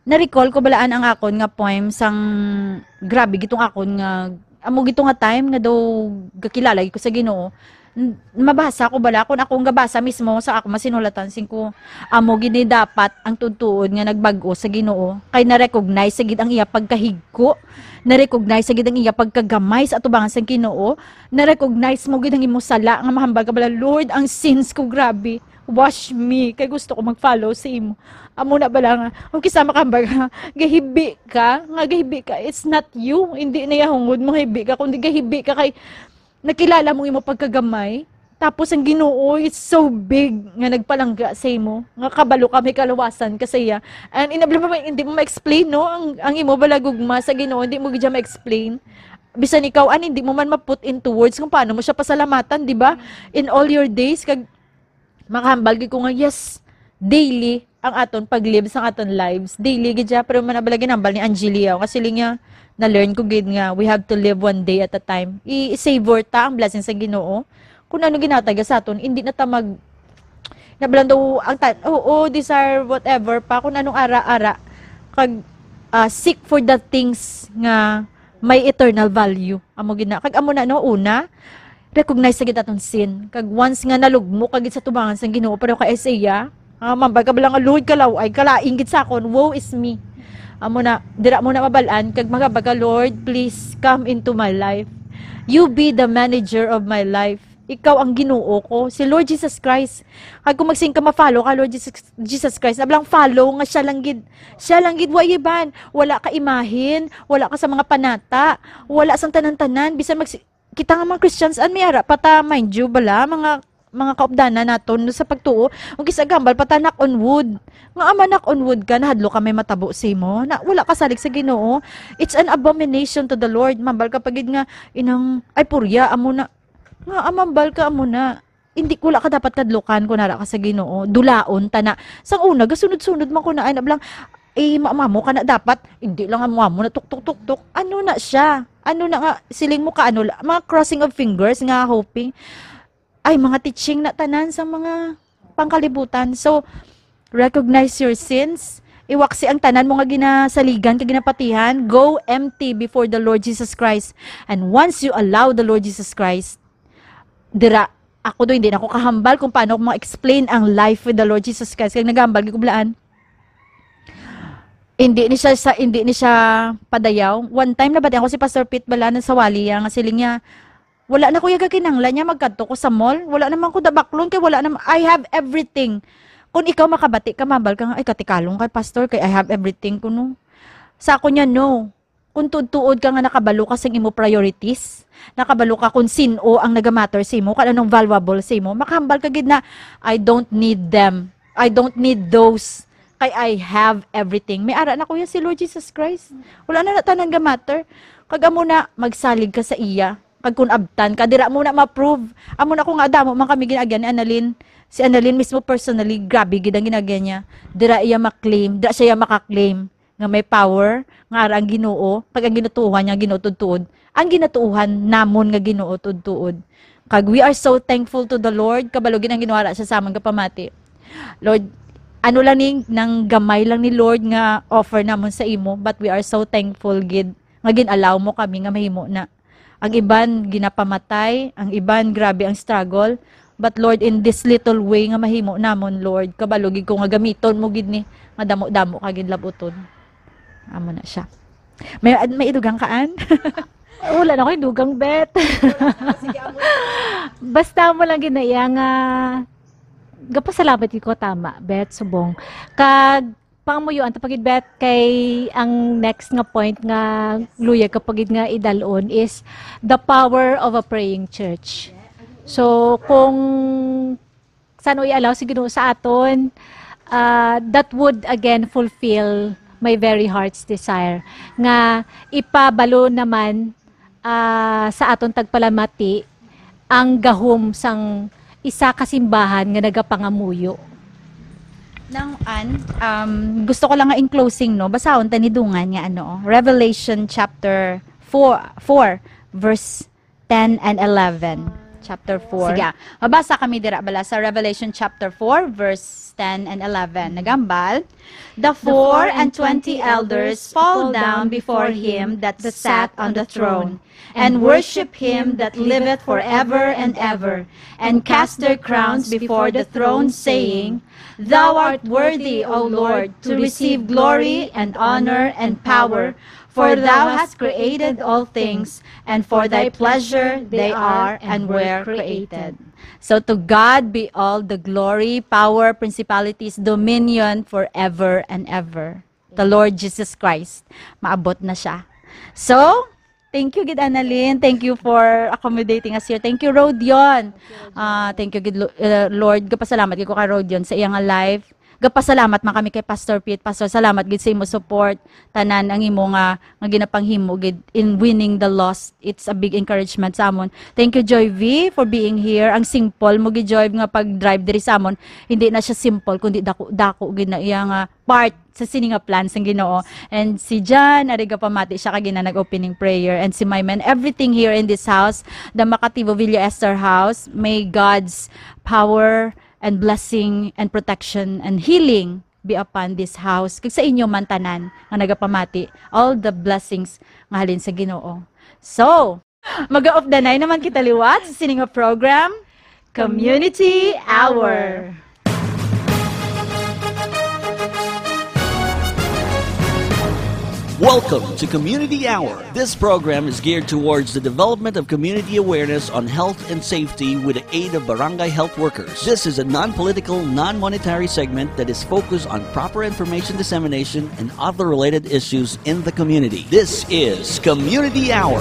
Na-recall ko balaan ang akon nga poem sang, grabe gitong akon nga, amo gito nga time nga daw gakilala gid ko sa Ginoo. N-, mabasa ko bala, kung akong gabasa mismo sa ako masinulatan, sing ko, amo gid ni dapat ang tudtuon nga nagbag-o sa Ginoo. Kay na-recognize sa gid ang iya pagkahigko, na-recognize sa gid ang iya pagkagamay sa atubangan sang Ginoo, na-recognize mo gid ang imo sala nga mahambal ka bala, "Lord, ang sins ko, grabe." Wash me, kay gusto ko mag-follow sa imo. Amo na bala nga, o kisa makambal nga, gahibi ka, nga gahibi ka, it's not you, hindi na yahungod mo hibi ka, kundi gahibi ka kay nakilala mo imo pagkagamay. Tapos ang Ginoo is so big nga nagpalangga sa imo, nga kabalo ka may kaluwasan ka sa iya. And inabla mo, hindi mo ma-explain, no? Ang, ang imo balagugma sa Ginoo, hindi mo gid siya ma-explain. Bisan ikaw, an, hindi mo man ma-put into words kung paano mo siya pasalamatan, di ba? In all your days, kag makahambal gid ko nga, yes, daily ang aton pag-live sang aton lives. Daily gid siya, pero man bala ginambal ni Angelia, nga siling niya, na-learn ko gid nga we have to live one day at a time. I-, i-savor ta ang blessing sa Ginoo. Kung ano ginatag sa aton, hindi na ta mag, na bala daw ang tan-, oo, desire whatever pa, kung anong ara-ara. Kag, ah, seek for the things nga may eternal value. Amo gid na. Kag amo na, no, una, recognize sa gid aton sin. Kag once nga nalugmok ka gid sa tubangan sang Ginoo, pero kay Isaiah, ah, mambal ka bala nga, "Lord, kalaw-ay, kalain gid sa akon, woe is me." Amo na, dira mo na mabal-an, kag magabag ka, "Lord, please come into my life. You be the manager of my life." Ikaw ang Ginoo ko, si Lord Jesus Christ. Kag kung magsing ka, ma-follow ka, Lord Jesus, Jesus Christ, na bala ang follow nga siya lang gid, siya lang gid, wa iban, wala ka imahin, wala ka sa mga panata, wala sang tanan-tanan, bisan mag-, kita nga mga Christians, an, may ara pa ta, mind you, bala, mga mga kaupdanan naton sa pagtuo, ug isa gambal pa ta, knock on wood. Nga ama, knock on wood ka, nahadlok ka may matabo sa imo, na wala ka salig sa Ginoo. It's an abomination to the Lord. Mambal ka pa gid nga, inang, ay, purya, amo na. Nga, ah, mambal ka, amo na. Hindi, wala ka dapat kadlukan kung nara ka sa Ginoo. Dulaon ta na. Sang una, gasunod-sunod man ko na, ay, nablang, eh, ma-, mamo ka na dapat. Hindi lang amo, amo na, tuk, tuk, tuk, tuk. Ano na siya? Ano na nga, siling mo ka, ano la-, mga crossing of fingers nga hoping. Ay, mga teaching na tanan sa mga pangkalibutan. So, recognize your sins. Iwaksi ang tanan mo nga ginasaligan kag ginapatihan. Go empty before the Lord Jesus Christ. And once you allow the Lord Jesus Christ, dira, ako do, hindi na ko kahambal kung paano ko ma-explain ang life with the Lord Jesus Christ. Kag nagahambal gid ko blaan. Hindi ni siya sa, hindi ni siya padayaw. One time, nabatian ko si Pastor Pete bala na sa wali, nga siling niya, "Wala na ko ya gakinanglan niya, magkadto ko sa mall. Wala naman ko dabaklon kay wala naman, I have everything." Kung ikaw makabati ka, mambal ka nga, "Ay, katikalon kay Pastor, kay I have everything ko, no." Sa ako niya, no. Kung tuod-tuod ka nga nakabalo ka sing imo priorities, nakabalo ka kung sin-o ang nagamatter sa imo, kung anong valuable sa imo, makahambal ka gid na, "I don't need them. I don't need those. Kay I have everything." May ara na, kuya, si Lord Jesus Christ. Wala na, na tanan ga matter. Kag amo na, magsalig ka sa iya. Kag kung abtan ka, dira mo na ma-prove. Amo na ko nga, damo man kami gin-agyan ni Annalyn. Si Annalyn mismo personally, grabe gid ang gin-agyan niya. Dira iya ma-claim, dira siya maka-claim nga may power, nga ara ang Ginoo, kag ang ginatuohan niya, Ginoo tuod-tuod. Ang ginatuohan namon nga Ginoo tuod-tuod. Kag we are so thankful to the Lord, kabalo gid ang Ginoo ara siya sa amon nga pamati. Lord, ano lang ni, nang gamay lang ni Lord nga offer namon sa imo, but we are so thankful gid nga gin-allow mo kami nga mahimo na. Ang iban ginapamatay, ang iban grabe ang struggle, but Lord, in this little way nga mahimo namon, Lord, kabalo gid ko nga gamiton mo gid ni, nga damo-damo ka gid labuton. Amo na siya. May, may idugang ka, Ann? Wala na ko'y dugang, Bet. Basta mo lang ginaya nga, gapasalamat ko, tama, Bet, subong. Kag, pangamuyoan ta pa gid, Bet, kay ang next nga point nga luyag ka pa gid nga idalon is the power of a praying church. So, kung san-o i-allow si Ginoo sa aton, ah, that would again fulfill my very heart's desire nga ipabalo naman, ah, sa aton tagpalamati ang gahom sang isa ka simbahan nga nagapangamuyo. Nang, Ann, um, gusto ko lang nga in closing, no, basahon ta ni dungan nga ano, Revelation chapter four, four, verse ten and eleven. Chapter four. Sige, mabasa kami dira bala sa Revelation chapter four, verse ten and eleven. Nagambal, "The four and twenty elders fall down before him that sat on the throne, and worship him that liveth forever and ever, and cast their crowns before the throne, saying, 'Thou art worthy, O Lord, to receive glory and honor and power, for thou hast created all things, and for thy pleasure they are and were created.'" So to God be all the glory, power, principalities, dominion forever and ever. The Lord Jesus Christ, maabot na siya. So, thank you gid, Annalyn. Thank you for accommodating us here. Thank you, Rodion. Ah, thank you gid, Lo-, uh, Lord. Gapasalamat gid ko kay Rodion sa iya nga life. Gapasalamat man kami kay Pastor Pete. Pastor, salamat gid sa imo support. Tanan ang imo nga, nga ginapanghimo gid in winning the lost. It's a big encouragement sa amon. Thank you, Joy V, for being here. Ang simple mo gid, Joy, nga pag-drive diri sa amon. Hindi na siya simple, kundi dako, dako gid na iya nga part sa sini nga plan sang Ginoo. And si Jan, ari gapamati siya kag ina nag-opening prayer. And si Maiman, everything here in this house, the Makatibo Villa Esther House, may God's power and blessing and protection and healing be upon this house. Kag sa inyo man tanan nga nagapamati, all the blessings nga halin sa Ginoo. So, maga-off the nine naman kita liwat sa sini nga program, Community Hour. Welcome to Community Hour. This program is geared towards the development of community awareness on health and safety with the aid of barangay health workers. This is a non-political, non-monetary segment that is focused on proper information dissemination and other related issues in the community. This is Community Hour.